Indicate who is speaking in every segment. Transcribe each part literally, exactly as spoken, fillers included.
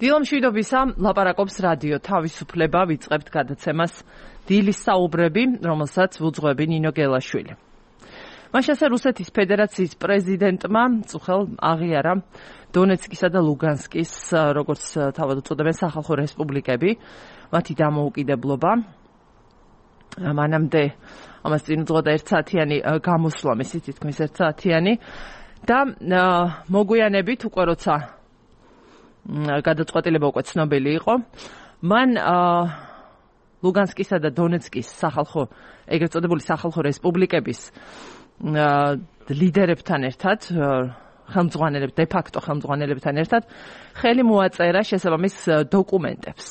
Speaker 1: დილამ მშვიდობისა, ლაპარაკობს რადიო თავისუფლება, ვიწყებთ გადაცემას დილის საუბრები, რომელსაც ვუძღვები ნინო გელაშვილი. მაშ ასე რუსეთის ფედერაციის პრეზიდენტმა წუხელ აღიარა დონეცკისა და ლუგანსკის, როგორც თავად უწოდებენ, სახალხო რესპუბლიკები, მათი დამოუკიდებლობა. მანამდე ამას წინ უძღვოდა ერთსაათიანი გამოსვლა, მისი თითქმის ერთსაათიანი და მოგვიანებით უკვე როცა გადაწყვეტილება უკვე ცნობილი იყო. მან ლუგანსკისა და დონეცკის სახალხო, ეგრეთ წოდებული სახალხო რესპუბლიკების ლიდერებთან ერთად, ხელმძღვანელებ, de facto ხელმძღვანელებთან ერთად ხელი მოაწერა შესაბამის დოკუმენტებს.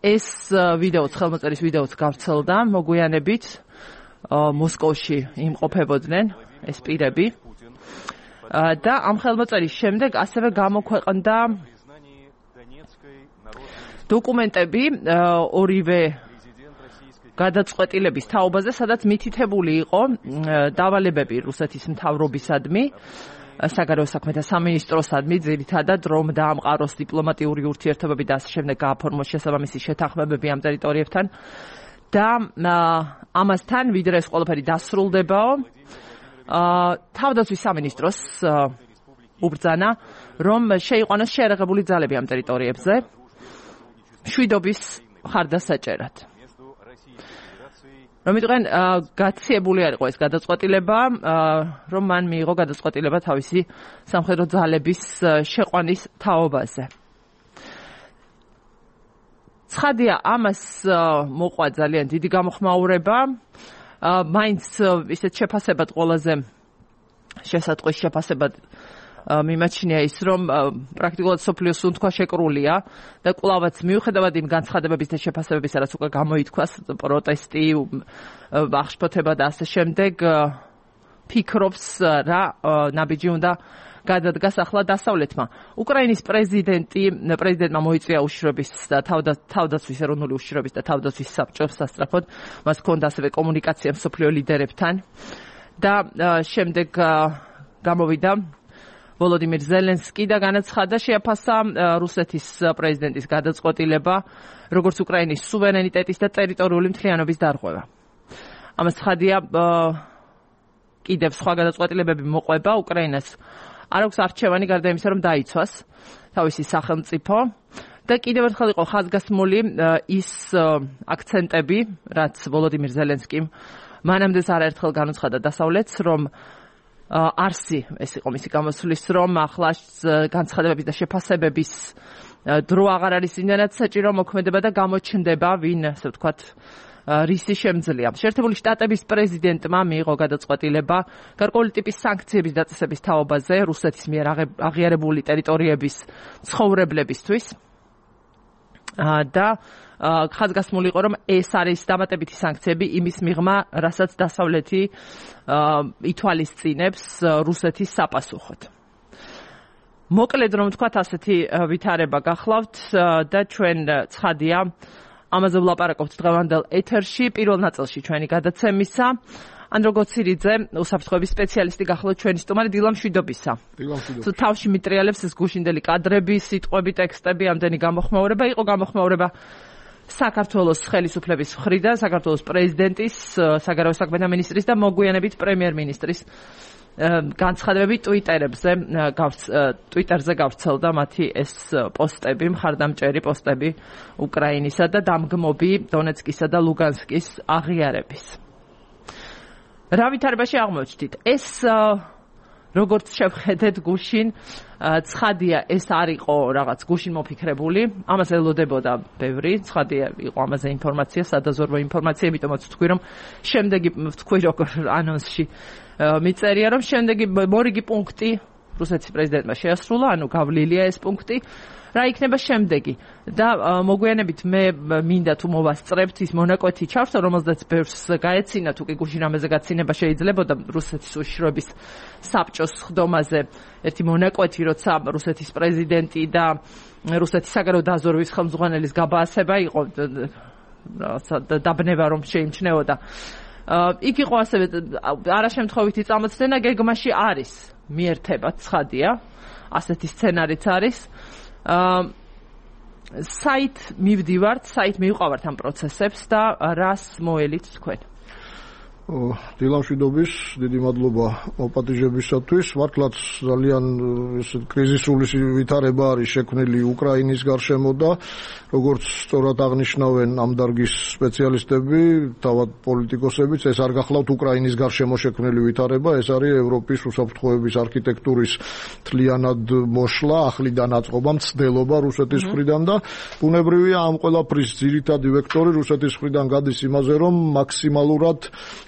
Speaker 1: ეს ვიდეოც, ხელმოწერის ვიდეოც გავრცელდა მოგვიანებით მოსკოვში იმყოფებოდნენ ეს პირები. და ამ ხელმოწერის შემდეგ ასევე გამოქვეყნდა დოკუმენტები ორივე გადაწყვეტილების თაობაზე, სადაც მითითებული იყო დავალებები რუსეთის მთავრობისადმი, საგარეო საქმეთა სამინისტროსადმი, ძირითადად რომ დაამყაროს დიპლომატიური ურთიერთობები და ასე შემდეგ გააფორმოს შესაბამისი შეთანხმებები ამ ტერიტორიებთან და ამასთან ვიდრე ეს ყველაფერი დასრულდებაო, თავდაცვის სამინისტროს უბრძანა, რომ შეიყვანოს შეერაღებული ძალები ამ ტერიტორიებზე მშვიდობის მხარდასაჭერად. რომ იყვნენ გაციებული არ იყო ეს გადაწყვეტილება, რომ მან მიიღო გადაწყვეტილება თავისი სამხედრო ძალების შეყვანის თაობაზე. ცხადია, ამას მოყვა ძალიან დიდი გამოხმაურება. მაინც ისეთ შეფასებად ყველაზე შესატყვის შეფასებად მიმაჩნია ის, რომ პრაქტიკულად სოფლიოს სუნთქვა შეკრულია და კვლავაც მიუხედავად იმ განცხადებების და შეფასებებისა, რაც უკვე გამოითქვას, პროტესტი, აღშფოთება და ასე შემდეგ, ფიქრობს რა ნაბიჯი უნდა გადადგას ახლა დასავლეთმა. უკრაინის პრეზიდენტი, პრეზიდენტმა მოიწვია უშიშროების და თავდაცვის ეროვნული უშიშროების და თავდაცვის საბჭოს სასწრაფოდ, მას ჰქონდა ასევე კომუნიკაცია მსოფლიო ლიდერებთან და შემდეგ გამოვიდა ვოლოდიმირ ზელენსკი და განაცხადა, შეაფასა რუსეთის პრეზიდენტის გადაწყვეტილება, როგორც უკრაინის სუვერენიტეტის და ტერიტორიული მთლიანობის დარღვევა. ამას ცხადია, კიდევ სხვა გადაწყვეტილებები მოყვება უკრაინას. არ აქვს არჩევანი გარდა იმისა, რომ დაიცვას თავისი სახელმწიფო და კიდევ ერთხელ იყო ხაზგასმული ის აქცენტები, რაც ვოლოდიმირ ზელენსკიმ მანამდეც არაერთხელ განუცხადა დასავლეთს, რომ არსი, ეს იყო მისი გამოსვლის, რომ ახლა განცხადებების და შეფასებების დრო აღარ არის იმდანაც საჭირო მოქმედება და გამოჩნდება, ვინ, ასე ვთქვათ, რისი შემძლეა. შეერთებული შტატების პრეზიდენტმა მიიღო გადაწყვეტილება გარკვეული ტიპის სანქციების დაწესების თაობაზე რუსეთის მიერ აღიარებული ტერიტორიების ცხოვრებლებისთვის და ხაზგასმული იყო, რომ ეს არის დამატებითი სანქციები იმის მიღმა, რასაც დასავლეთი ითვალისწინებს რუსეთის საპასუხოდ. მოკლედ რომ ვთქვათ, ასეთი ვითარება გახლავთ და ჩვენ ცხადია ამაზე ვლაპარაკობთ დღევანდელ ეთერში, პირველ ნაწილში ჩვენი გადაცემისა. ანდრო გოცირიძე, უსაფრთხოების სპეციალისტი გახლავთ ჩვენი სტუმარი, დილამ მშვიდობისა.
Speaker 2: დილამ მშვიდობისა.
Speaker 1: თავში მიტრიალებს ეს გუშინდელი კადრები, სიტყვები, ტექსტები, ამდენი გამოხმაურება, იყო გამოხმაურება საქართველოს ხელისუფლების მხრიდან, საქართველოს პრეზიდენტის, საგარეო საქმეთა მინისტრის და მოგვიანებით პრემიერ-მინისტრის განცხადებები ტვიტერებზე, ტვიტერზე გავრცელდა მათი ეს პოსტები, მხარდამჭერი პოსტები უკრაინისა და დამგმობი დონეცკისა და ლუგანსკის აღიარების. რა ვითარებაში აღმოჩნდით? ეს როგორც შევხედეთ გუშინ, ცხადია, ეს არ იყო რაღაც გუშინ მოფიქრებული, ამას ელოდებოდა ბევრი, ცხადია იყო ამაზე ინფორმაცია, სადაზვერვო ინფორმაცია, იმიტომაც ვთქვი, რომ შემდეგი ვთქვი, როგორ ანონსში მიწერია, რომ შემდეგი მორიგი პუნქტი რუსეთის პრეზიდენტმა შეასრულა, ანუ გავლილია ეს პუნქტი, რა იქნება შემდეგი. და მოგვიანებით მე მინდა თუ მოვასწრებთ ის მონაკვეთი ჩავრთო, რომელზეც ბევრს გაეცინა, თუ კი გუშინ ამაზე გაცინება შეიძლებოდა რუსეთის უშიშროების საბჭოს ხდომაზე ერთი მონაკვეთი, როცა რუსეთის პრეზიდენტი და რუსეთის საგარეო დაზვერვის ხელმძღვანელის გაბაასება იყო დაბნება, რომ შეიმჩნეოდა. იქ იყო ასევე არაშემთხვევითი წამოწმენა, გეგმაში არის მიერთება, ცხადია, ასეთი სცენარიც არის. აა საით მივდივართ, საით მივყავართ ამ პროცესებს და რას მოელით თქვენ?
Speaker 2: დილამშვიდობის, დიდი მადლობა მოპატიჟებისათვის. მართლაც ძალიან კრიზისული ვითარება არის შექმნილი უკრაინის გარშემო და როგორც სწორად აღნიშნავენ ამ დარგის სპეციალისტები, თავად პოლიტიკოსებიც, ეს არ გახლავთ უკრაინის გარშემო შექმნილი ვითარება, ეს არის ევროპის უსაფრთხოების არქიტექტურის მთლიანად მოშლა, ახლიდან აწყობა, მცდელობა რუსეთის მხრიდან და ბუნებრივია ამ ყველაფრის ძირითადი ვექტორი რუსეთის მხრიდან გადის იმაზე, რომ მაქსიმალურად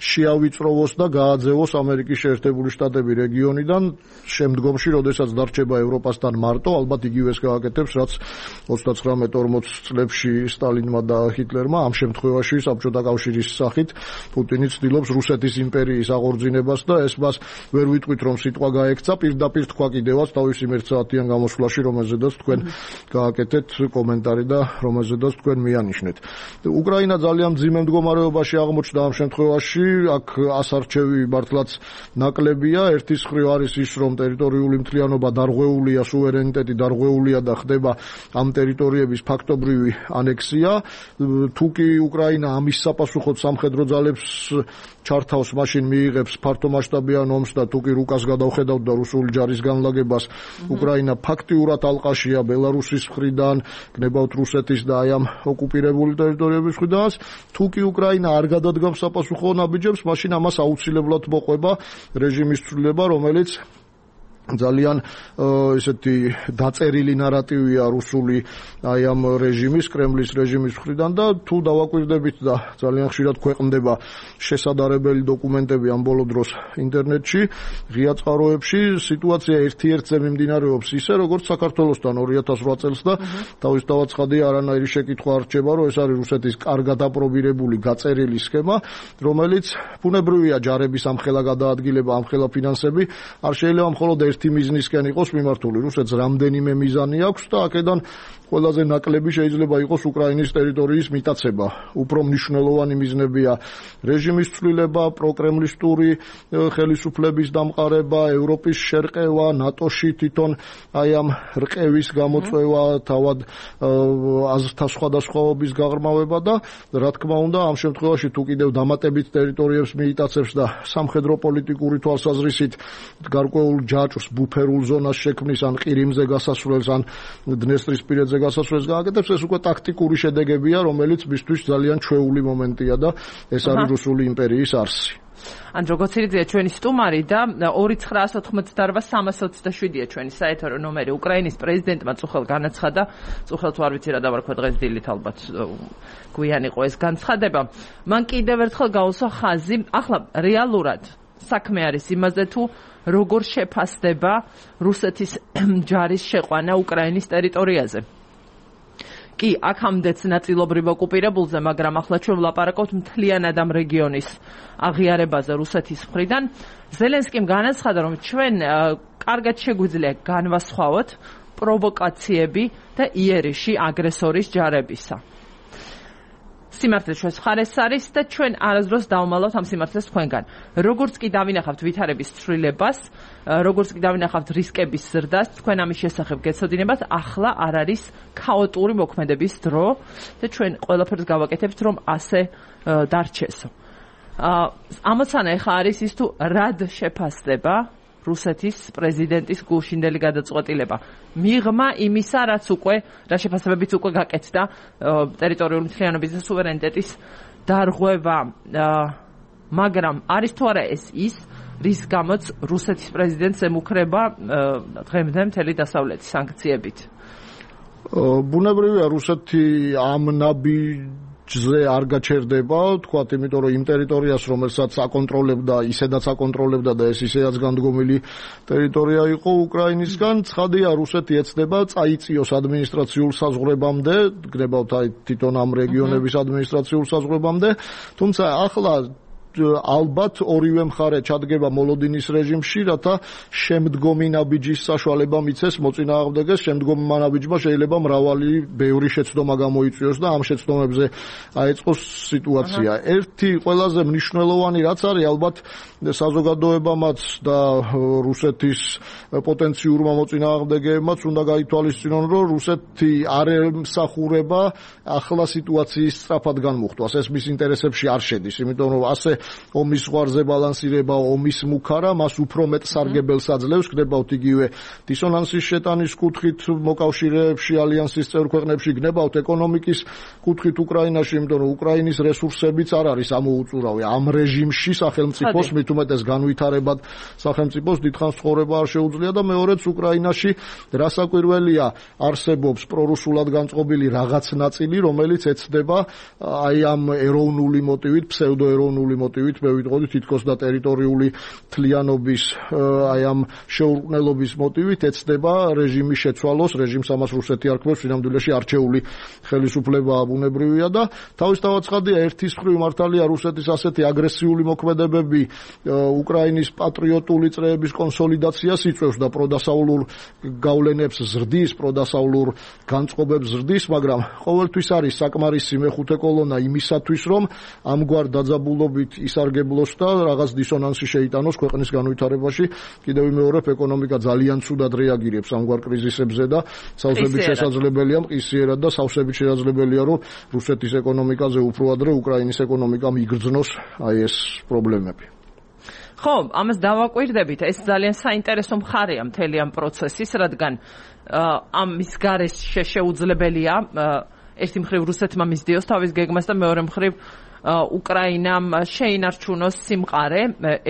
Speaker 2: შეავიწროვოს და გააძევოს ამერიკის შეერთებული შტატები რეგიონიდან შემდგომში, როდესაც დარჩება ევროპასთან მარტო, ალბათ იგივეს გააკეთებს, რაც ოცდაცხრამეტ ორმოც წლებში სტალინმა და ჰიტლერმა, ამ შემთხვევაში საბჭოთა კავშირის სახით პუტინი ცდილობს რუსეთის იმპერიის აღორძინებას და ეს მას ვერ ვიტყვით, რომ სიტყვა გაექცა, პირდაპირ თქვა კიდევაც თავისი მერცაათიან გამოსვლაში, რომელზედაც თქვენ გააკეთეთ კომენტარი და რომელზედაც თქვენ მიანიშნეთ. უკრაინა ძალიან მძიმე მდგომარეობაში აღმოჩნდა ამ შემთხვევაში. აქ ასარჩევი მართლაც ნაკლებია. ერთის მხრივ არის ის, რომ ტერიტორიული მთლიანობა დარღვეულია, სუვერენიტეტი დარღვეულია და ხდება ამ ტერიტორიების ფაქტობრივი ანექსია. თუ კი უკრაინა ამის საპასუხოდ სამხედრო ძალებს ჩართავს, მაშინ მიიღებს ფართომასშტაბიან ომს და თუ კი რუკას გადავხედავთ და რუსული ჯარის განლაგებას, უკრაინა ფაქტიურად ალყაშია ბელარუსის მხრიდან, გნებავთ რუსეთის და აი ამ ოკუპირებული ტერიტორიების მხრიდან. თუ კი უკრაინა არ გადადგამს საპასუხო ნაბიჯებს, მაშინ ამას აუცილებლად მოყვება რეჟიმის ცვლილება, რომელიც ძალიან ესეთი დაწერილი ნარატივია რუსული აი ამ რეჟიმის, კრემლის რეჟიმის მხრიდან და თუ დავაკვირდებით და ძალიან ხშირად ქვეყნდება შესაძარებელი დოკუმენტები ამ ბოლო დროს ინტერნეტში, ღია წყაროებში, სიტუაცია ერთ-ერთზე მიმდინარეობს ისე, როგორც საქართველოსთან ორი ათას რვა წელს და თავისთავად ცხადია, არანაირი შეკითხვა არ რჩება, რომ ეს არის რუსეთის კარგად აპრობირებული გაწერილი სქემა, რომელიც ბუნებრივია ჯარების ამხელა გადაადგილება, ამხელა ფინანსები, არ შეიძლება მხოლოდ ერთი მიზნისკენ იყოს მიმართული. რუსეთს რამდენიმე მიზანი აქვს და აქედან ყველაზე ნაკლები შეიძლება იყოს უკრაინის ტერიტორიის მიტაცება. უფრო მნიშვნელოვანი მიზნებია რეჟიმის ცვლილება, პროკრემლისტური ხელისუფლების დამყარება, ევროპის შერყევა, ნატოში თვითონ აი ამ რყევის გამოწვევა, თავად აზრთა სხვადასხვაობის გაღრმავება და რა თქმა უნდა ამ შემთხვევაში თუ კიდევ დამატებით ტერიტორიებს მიიტაცებს და სამხედრო პოლიტიკური თვალსაზრისით გარკვეულ ჯაჭვს ბუფერულ ზონას შექმნის ან ყირიმზე გასასვლელს ან დნესტრისპირეთზე გასასვლელს გააკეთებს, ეს უკვე ტაქტიკური შედეგებია, რომელიც მისთვის ძალიან ჩვეული მომენტია და ეს არის რუსული იმპერიის არსი.
Speaker 1: ანდრო გოცირიძეა ჩვენი სტუმარი და ორი ცხრაას ოთხმოცდაორვა სამას ოცდაშვიდია ჩვენი საეთერო ნომერი. უკრაინის პრეზიდენტმა წუხელ განაცხადა, წუხელ თუ არ ვიცი რა დავარქვა დღეს დილით, ალბათ გვიან იყო ეს განცხადება. მან კიდევ ერთხელ გაუსვა ხაზი, ახლა რეალურად საქმე არის იმაზე თუ როგორ შეფასდება რუსეთის ჯარის შეყვანა უკრაინის ტერიტორიაზე. კი, აქამდეც ნაწილობრივ ოკუპირებულზე, მაგრამ ახლა ჩვენ ვლაპარაკობთ მთლიანად ამ რეგიონის აღიარებაზე რუსეთის მხრიდან. ზელენსკიმ განაცხადა, რომ ჩვენ კარგად შეგვიძლია განვასხვაოთ პროვოკაციები და იერიში აგრესორის ჯარებისა. სიმართლე ჩვენს მხარეს არის და ჩვენ არასდროს დავმალავთ ამ სიმართლეს თქვენგან. როგორც კი დავინახავთ ვითარების ცვლილებას, როგორც კი დავინახავთ რისკების ზრდას, თქვენ ამის შესახებ გეცოდინებათ, ახლა არ არის ქაოტური მოქმედების დრო და ჩვენ ყველაფერს გავაკეთებთ, რომ ასე დარჩესო. ამოცანა ეხა არის ის თუ რად შეფასდება რუსეთის პრეზიდენტის გულშინდელი გადაწყვეტილება. მიღმა იმისა, რაც უკვე რა შეფასებებით უკვე გაკეთდა ტერიტორიული მთლიანობის და სუვერენიტეტის დარღვევა, მაგრამ არის თუ არა ეს ის, რის გამოც რუსეთის პრეზიდენტს ემუქრება დღემდე მთელი დასავლეთი სანქციებით.
Speaker 2: ბუნებრივია რუსეთი ამ ნაბი ზე არ გაჩერდება, თქვათ, იმიტომ რომ იმ ტერიტორიას, რომელსაც აკონტროლებდა, ისედაც აკონტროლებდა და ეს ისედაც განდგომილი ტერიტორია იყო უკრაინისგან, ცხადია რუსეთი ეცდება წაიწიოს ადმინისტრაციულ საზღვრებამდე, გნებავთ აი თვითონ ამ რეგიონების ადმინისტრაციულ საზღვრებამდე, თუმცა ახლა ალბათ ორივე მხარე ჩადგება მოლოდინის რეჟიმში, რათა შემდგომი ნაბიჯის საშუალება მიცეს მოწინააღმდეგეს, შემდგომ ნაბიჯმა შეიძლება მრავალი ბევრი შეცდომა გამოიწვიოს და ამ შეცდომებზე აეწყოს სიტუაცია. ერთი ყველაზე მნიშვნელოვანი რაც არის, ალბათ საზოგადოებამაც და რუსეთის პოტენციურმა მოწინააღმდეგეებმაც უნდა გაითვალისწინონ, რომ რუსეთი არ ემსახურება ახლა სიტუაციის სწრაფად განმუხტვას. ეს მის ინტერესებში არ შედის, იმიტომ რომ ასე ომის ზღვარზე ბალანსირება, ომის მუქარა მას უფრო მეტ სარგებელს აძლევს, გნებავთ იგივე დისონანსის შეტანის კუთხით მოკავშირეებში, ალიანსის წევრ ქვეყნებში, გნებავთ ეკონომიკის კუთხით უკრაინაში, იმიტომ რომ უკრაინის რესურსებიც არ არის ამოუწურავი ამ რეჟიმში სახელმწიფოს, მით უმეტეს განვითარებად სახელმწიფოს დიდხანს ცხოვრება არ შეუძლია და მეორეც უკრაინაში რასაკვირველია არსებობს პრორუსულად განწყობილი რაღაც ნაწილი, რომელიც ეცდება აი ამ ეროვნული მოტივით, ფსევდოეროვნული მოტივით, მე ვიტყოდი თითქოს და ტერიტორიული თლიანობის აი ამ შეურყნელობის მოტივით ეცდება რეჟიმის შეცვალოს, რეჟიმს ამას რუსეთი არქმევს, სინამდვილეში არჩეული ხელისუფლება ბუნებრივია და თავისთავად ცხადია, ერთის მხრივ მართალია რუსეთის ასეთი აგრესიული მოქმედებები უკრაინის პატრიოტული წრეების კონსოლიდაციას იწვევს და პროდასავლურ გავლენებს ზრდის, პროდასავლურ განწყობებს ზრდის, მაგრამ ყოველთვის არის საკმარისი მეხუთე კოლონა იმისათვის, რომ ამგვარ დაძაბულობით ისარგებლოს და რაღაც დისონანსი შეიტანოს ქვეყნის განვითარებაში. კიდევ ვიმეორებ, ეკონომიკა ძალიან ცუდად რეაგირებს ამგვარ კრიზისებზე და სავსებით შესაძლებელია, მყისიერად და სავსებით შესაძლებელია, რომ რუსეთის ეკონომიკაზე უფრო ადრე უკრაინის ეკონომიკამ იგრძნოს აი ეს პრობლემები.
Speaker 1: ხო, ამას დავაკვირდებით, ეს ძალიან საინტერესო მხარეა მთელი ამ პროცესის, რადგან ამის გარეშე შეუძლებელია ერთი მხრივ რუსეთმა მისდიოს თავის გეგმას და მეორე მხრივ უკრაინამ შეინარჩუნოს სიმყარე,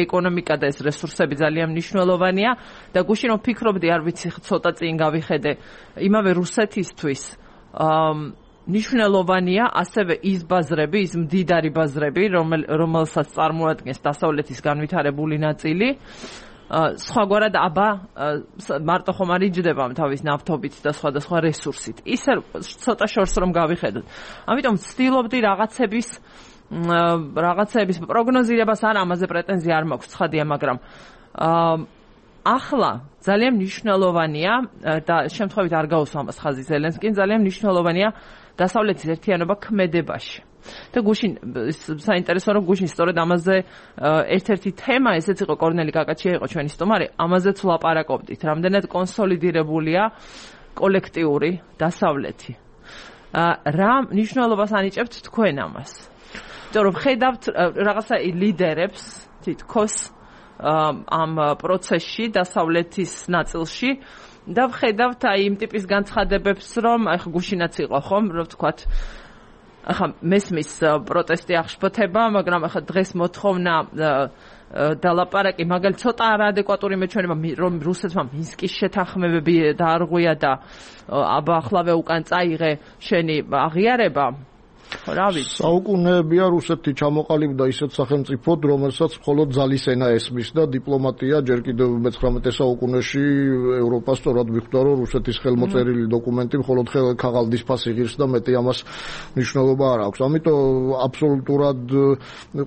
Speaker 1: ეკონომიკა და ეს რესურსები ძალიან მნიშვნელოვანია და გუშინ რომ ფიქრობდი, არ ვიცი ცოტა წინ გავიხედე, იმავე რუსეთისთვის მნიშვნელოვანია ასევე ის ბაზრები, ის მდიდარი ბაზრები, რომელსაც წარმოადგენს დასავლეთის განვითარებული ნაწილი. სხვაგვარად აბა მარტო ხომ არ იჯდება თავის ნავთობით და სხვადასხვა რესურსით. ისე ცოტა შორს რომ გავიხედოთ. ამიტომ ვცდილობდი რაღაცების რაღაცების პროგნოზირებას არ ამაზე პრეტენზია არ მაქვს, ცხადია, მაგრამ ახლა ძალიან მნიშვნელოვანია და შემთხვევით არ გაუსვამას ხაზი ზელენსკიმ, ძალიან მნიშვნელოვანია დასავლეთის ერთიანობა ქმედებაში. და გუშინ საინტერესო რომ გუშინ სწორედ ამაზე ერთ-ერთი თემა ესეც იყო, კორნელი კაკაჩია იყო ჩვენი სტუმარი, ამაზეც ვლაპარაკობდით, რამდენად კონსოლიდირებულია კოლექტიური დასავლეთი. რა მნიშვნელობას ანიჭებთ თქვენ ამას? იმიტომ რომ ხედავთ რაღაცა ლიდერებს თითქოს ამ პროცესში დასავლეთის ნაწილში და ვხედავთ აი იმ ტიპის განცხადებებს, რომ აი გუშინაც იყო ხომ, რომ ვთქვათ ახლა მესმის პროტესტი აღშფოთება, მაგრამ ახლა დღეს მოთხოვნა დალაპარაკი, მაგალითად ცოტა არაადეკვატური მეჩვენება, რომ რუსეთმა მინსკის შეთანხმებები დაარღვია და აბა ახლავე უკან წაიღე შენი აღიარება. რა ვიცი.
Speaker 2: საუკუნეებია რუსეთი ჩამოყალიბდა ისეთ სახელმწიფოდ, რომელსაც მხოლოდ ძალის ენა ესმის და დიპლომატია ჯერ კიდევ მეცხრამეტე საუკუნეში ევროპა სწორად მიხვდა, რომ რუსეთის ხელმოწერილი დოკუმენტი მხოლოდ ქაღალდის ფასი ღირს და მეტი ამას მნიშვნელობა არ აქვს. ამიტომ აბსოლუტურად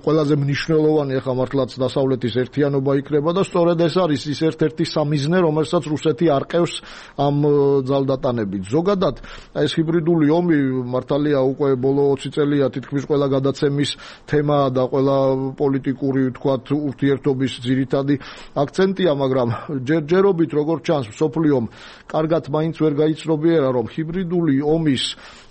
Speaker 2: ყველაზე მნიშვნელოვანი ახლა მართლაც დასავლეთის ერთიანობა იქნება და სწორედ ეს არის ის ერთ-ერთი სამიზნე, რომელსაც რუსეთი არყევს ამ ძალდატანებით. ზოგადად ეს ჰიბრიდული ომი მართალია უკვე ბოლო ოცი წელია თითქმის ყველა გადაცემის თემა და ყველა პოლიტიკური ვთქვათ ურთიერთობის ძირითადი აქცენტია, მაგრამ ჯერჯერობით როგორც ჩანს მსოფლიომ კარგად მაინც ვერ გაიცნობიერა, რომ ჰიბრიდული ომის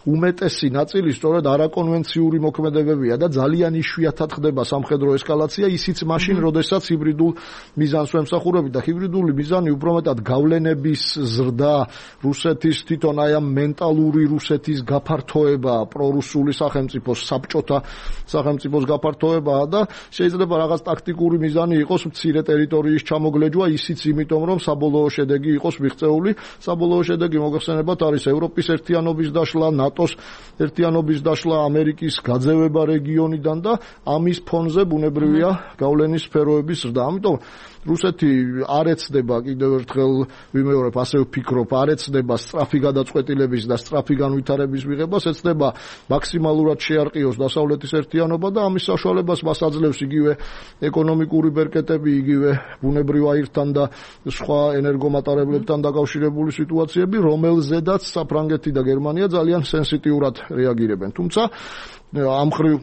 Speaker 2: უმეტესი ნაწილი სწორედ არაკონვენციური მოქმედებებია და ძალიან იშვიათად ხდება სამხედრო ესკალაცია, ისიც მაშინ, როდესაც ჰიბრიდულ მიზანს ვემსახურებით და ჰიბრიდული მიზანი უფრო მეტად გავლენების ზრდა, რუსეთის თვითონ აი ამ მენტალური რუსეთის გაფართოება, პრორუსული სახელმწიფოს, საბჭოთა სახელმწიფოს გაფართოებაა და შეიძლება რაღაც ტაქტიკური მიზანი იყოს მცირე ტერიტორიის ჩამოგლეჯვა, ისიც იმიტომ, რომ საბოლოო შედეგი იყოს მიღწეული. საბოლოო შედეგი მოგეხსენებათ არის ევროპის ერთიანობის დაშლა, ნატოს ერთიანობის დაშლა, ამერიკის გაძევება რეგიონიდან და ამის ფონზე ბუნებრივია გავლენის სფეროების ზრდა. ამიტომ რუსეთი არ ეცდება კიდევ ერთხელ ვიმეორებ, ასე ვფიქრობ, არ ეცდება სწრაფი გადაწყვეტილების და სწრაფი განვითარების მიღებას, ეცდება მაქსიმალურად შეარყიოს დასავლეთის ერთიანობა და ამის საშუალებას მას აძლევს იგივე ეკონომიკური ბერკეტები, იგივე ბუნებრივ აირთან და სხვა ენერგომატარებლებთან დაკავშირებული სიტუაციები, რომელზედაც საფრანგეთი და გერმანია ძალიან სენსიტიურად რეაგირებენ. თუმცა ამ მხრივ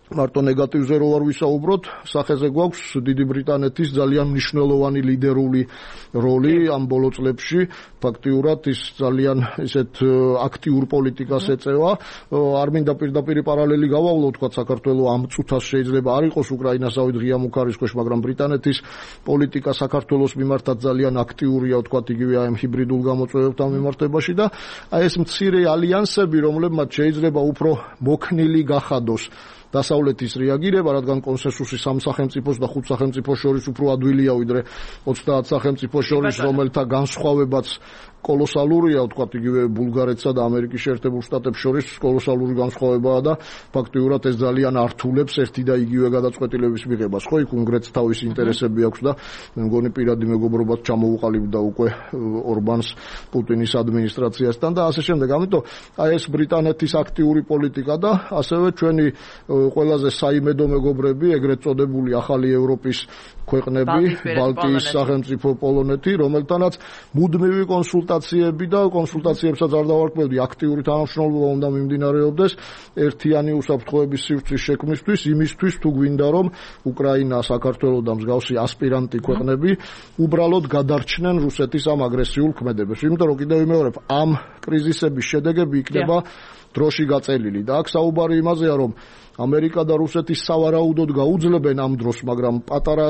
Speaker 2: მარტო ნეგატივზე რო არ ვისაუბროთ, სახეზე გვაქვს დიდი ბრიტანეთის ძალიან მნიშვნელოვანი ლიდერული როლი ამ ბოლო წლებში. ფაქტიურად ის ძალიან ისეთ აქტიურ პოლიტიკას ეწევა. არ მინდა პირდაპირ პარალელი გავავლო, თქვა საქართველოს ამ წუთას შეიძლება არ იყოს უკრაინასავით ღია მუქარის ქვეშ, მაგრამ ბრიტანეთის პოლიტიკა საქართველოს მიმართაც ძალიან აქტიურია, თქვა იგივე ამ ჰიბრიდულ გამოწვევებთან მიმართებაში და აი ეს მცირე ალიანსები, რომლებმაც შეიძლება უფრო მოქნილი გახადოს დასავლეთის რეაგირება, რადგან კონსენსუსი სამ სახელმწიფოს და ხუთ სახელმწიფოს შორის უფრო ადვილია ვიდრე ოცდაათ სახელმწიფოს შორის, რომელთა განსხვავებაც კოლოსალურია, ვთქვათ, იგივე ბულგარეთსა და ამერიკის შეერთებულ შტატებს შორის კოლოსალური განსხვავებაა და ფაქტიურად ეს ძალიან ართულებს ერთი და იგივე გადაწყვეტილების მიღებას. ხო, იქ უნგრეთს თავისი ინტერესები აქვს და მე მგონი პირადი მეგობრობაც ჩამოუყალიბდა უკვე ორბანს პუტინის ადმინისტრაციასთან და ასე შემდეგ. ამიტომ აი ეს ბრიტანეთის აქტიური პოლიტიკა და ასევე ჩვენი ყველაზე საიმედო მეგობრები, ეგრეთ წოდებული ახალი ევროპის ქვეყნები, ბალტიის სახელმწიფო პოლონეთი, რომელთანაც მუდმივი კონსულტაციები და კონსულტაციებსაც არ დავარქმევდი, აქტიური თანამშრომლობა უნდა მიმდინარეობდეს ერთიანი უსაფრთხოების სივრცის შექმნისთვის, იმისთვის თუ გვინდა რომ უკრაინა, საქართველო და მსგავსი ასპირანტი ქვეყნები უბრალოდ გადარჩნენ რუსეთის ამ აგრესიულ ქმედებებს. იმიტომ რომ კიდევ ვიმეორებ, ამ კრიზისების შედეგები იქნება დროში გაწელილი და აქ საუბარი იმაზეა, რომ ამერიკა და რუსეთი სავარაუდოდ გაუძლებენ ამ დროს, მაგრამ პატარა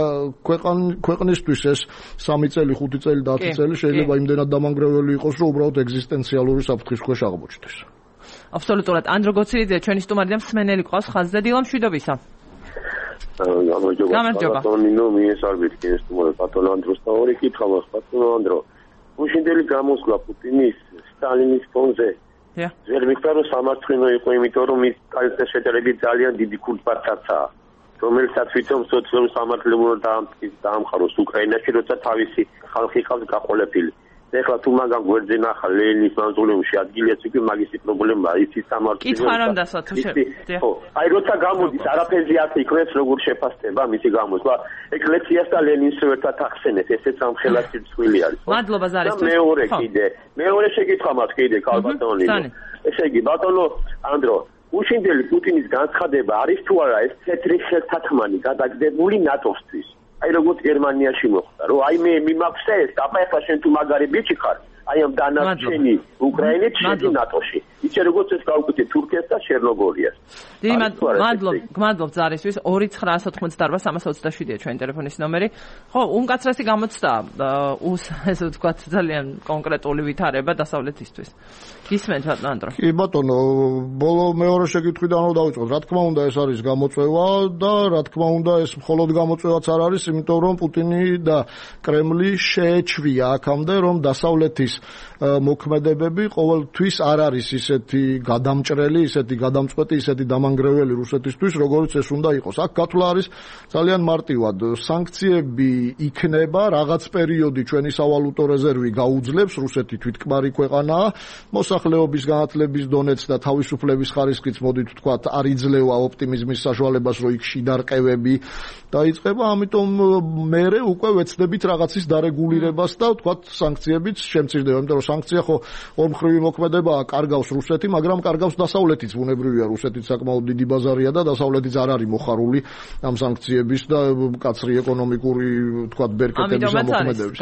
Speaker 2: ქვეყნისთვის ეს სამი წელი, ხუთი წელი და ათი წელი შეიძლება იმდენად დამანგრეველი იყოს, რომ უბრალოდ ეგზისტენციალური საფრთხის ქვეშ აღმოჩნდეს.
Speaker 1: აბსოლუტურად. ანდრო გოცირიძე, ჩვენი სტუმარი და მსმენელი ყავს ხაზზე. დილა მშვიდობისა.
Speaker 3: გამარჯობა. ბატონო, მიესალმებით კიდე სტუმარი ბატონო ანდროს და ორი კითხვა მაქვს ბატონო ანდრო. უშინდელი გამოსვლა პუტინის სტალინის ფონზე ვერ მიხარ რომ სამართლინო იყო, იმიტომ რომ ის კალთა შედარებით ძალიან დიდი ქურთბართაცაა, რომელსაც თვითონ სოციალური სამართლებრივად დაამყაროს უკრაინაში, როცა თავისი ხალხი ყავს გაყოლებული. ეხლა თუ მაგან გვერდზე ნახა ლენის მავზოლეუმში ადგილიაც უკვე მაგისი პრობლემაა, იცი სამართლი.
Speaker 1: კითხვა რომ დასვა თუ შეიძლება.
Speaker 3: ხო, აი როცა გამოდის არაფერზე აქ იქნებს როგორ შეფასდება მისი გამოსვლა. ეკლესიას და ლენინს ერთად ახსენეთ, ესეც ამ ხელასი მსხვილი არის.
Speaker 1: მადლობა ზარის.
Speaker 3: და მეორე კიდე, მეორე შეკითხვა მაქვს კიდე ქალბატონი. ესე იგი, ბატონო ანდრო, უშინდელი პუტინის განცხადება არის თუ არა ეს თეთრი ხელთათმანი გადაგდებული ნატოსთვის? აი როგორც გერმანიაში მოხდა, რომ აი მე მიმაქვს ეს, აბა ეხლა შენ თუ მაგარი ბიჭი ხარ, აი ამ დანარჩენი უკრაინით შედი ნატოში. ისე როგორც ეს გავუკეთე თურქეთს და ჩერნოგორიას.
Speaker 1: დიდი მადლობა, გმადლობ ზარისთვის. ორი ცხრა ათი ოცდაარბა სამას ოცდაშვიდია ჩვენი ტელეფონის ნომერი. ხო, უმკაცრესი გამოცდა, უს ესე ვთქვათ, ძალიან კონკრეტული ვითარება დასავლეთისთვის. გისმენთ ბატონო ანდრო.
Speaker 2: კი ბატონო, ბოლო მეორე შეკითხვიდან რომ დავიწყოთ, რა თქმა უნდა ეს არის გამოწვევა და რა თქმა უნდა ეს მხოლოდ გამოწვევაც არ არის, იმიტომ რომ პუტინი და კრემლი შეეჩვია აქამდე, რომ დასავლეთის მოქმედებები ყოველთვის არ არის ისეთი გადამჭრელი, ისეთი გადამწყვეტი, ისეთი დამანგრეველი რუსეთისთვის, როგორც ეს უნდა იყოს. აქ გათვლა არის ძალიან მარტივად. სანქციები იქნება, რაღაც პერიოდი ჩვენი სავალუტო რეზერვი გაუძლებს, რუსეთი თვითკმარი ქვეყანაა, მოსახლეობის განათლების დონეც და თავისუფლების ხარისხიც მოდით ვთქვათ, არ იძლევა ოპტიმიზმის საშუალებას, რომ იქ შიდარყევები დაიწყება, ამიტომ მერე უკვე ვეცდებით რაღაცის დარეგულირებას და ვთქვათ, სანქციებიც შემცირდება, იმიტომ რომ სანქცია ხო ორმხრივი მოქმედებაა, კარგავს რუსეთი, მაგრამ კარგავს დასავლეთიც, ბუნებრივია, რუსეთიც საკმაოდ დიდი ბაზარია და დასავლეთიც არ არის მოხარული ამ სანქციების და კაცრი ეკონომიკური, ვთქვათ, ბერკეტების ამოქმედების.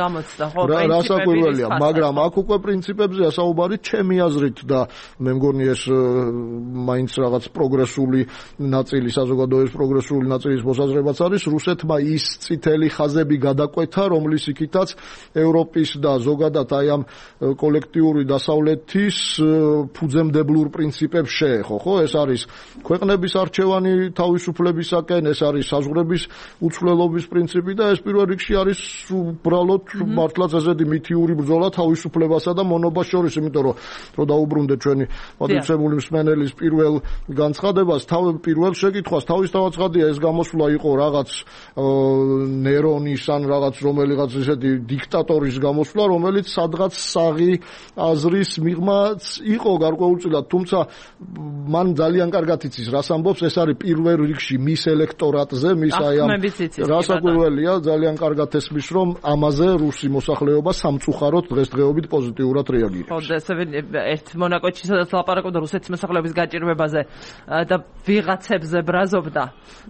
Speaker 2: რა საკურველია, მაგრამ აქ უკვე პრინციპებზეა საუბარი, ჩემი აზრით და მე მგონი ეს მაინც რაღაც პროგრესული ნაწილი, საზოგადოების პროგრესული ნაწილის მოსაზრებაც არის, რუსეთმა ის წითელი ხაზები გადაკვეთა, რომლის იქითაც ევროპის და ზოგადად აი ამ კოლექტიური დასავლეთის ფუძემდებლურ პრინციპებს შეეხო, ხო? ეს არის ქვეყნების არჩევანი თავისუფლებისაკენ, ეს არის საზღვრების უცვლელობის პრინციპი და ეს პირველ რიგში არის უბრალოდ მართლაც ესეთი მითიური ბრძოლა თავისუფლებასა და მონობას შორის, იმიტომ რომ რომ დაუბრუნდეთ ჩვენი მოდიცებული მსმენელის პირველ განცხადებას, თავ პირველ შეკითხვას, თავისთავად ცხადია ეს გამოსვლა იყო რაღაც ნერონის ან რაღაც რომელიღაც ესეთი დიქტატორის გამოსვლა, რომელიც სადღაც საღი აზრის მიღმაც იყო გარკვეულწილად, თუმცა მან ძალიან კარგად იცის რას ამბობს, ეს არის პირველ რიგში მის ელექტორატზე, მის აი ამ რასაკვირველია, ძალიან კარგად ესმის, რომ ამაზე რუსი მოსახლეობა სამწუხაროდ დღესდღეობით პოზიტიურად რეაგირებს.
Speaker 1: ხო, და ერთ მონაკოჩი სადაც ლაპარაკობდა რუსეთის მოსახლეობის გაჭირვებაზე და ვიღაცებზე ბრაზობდა,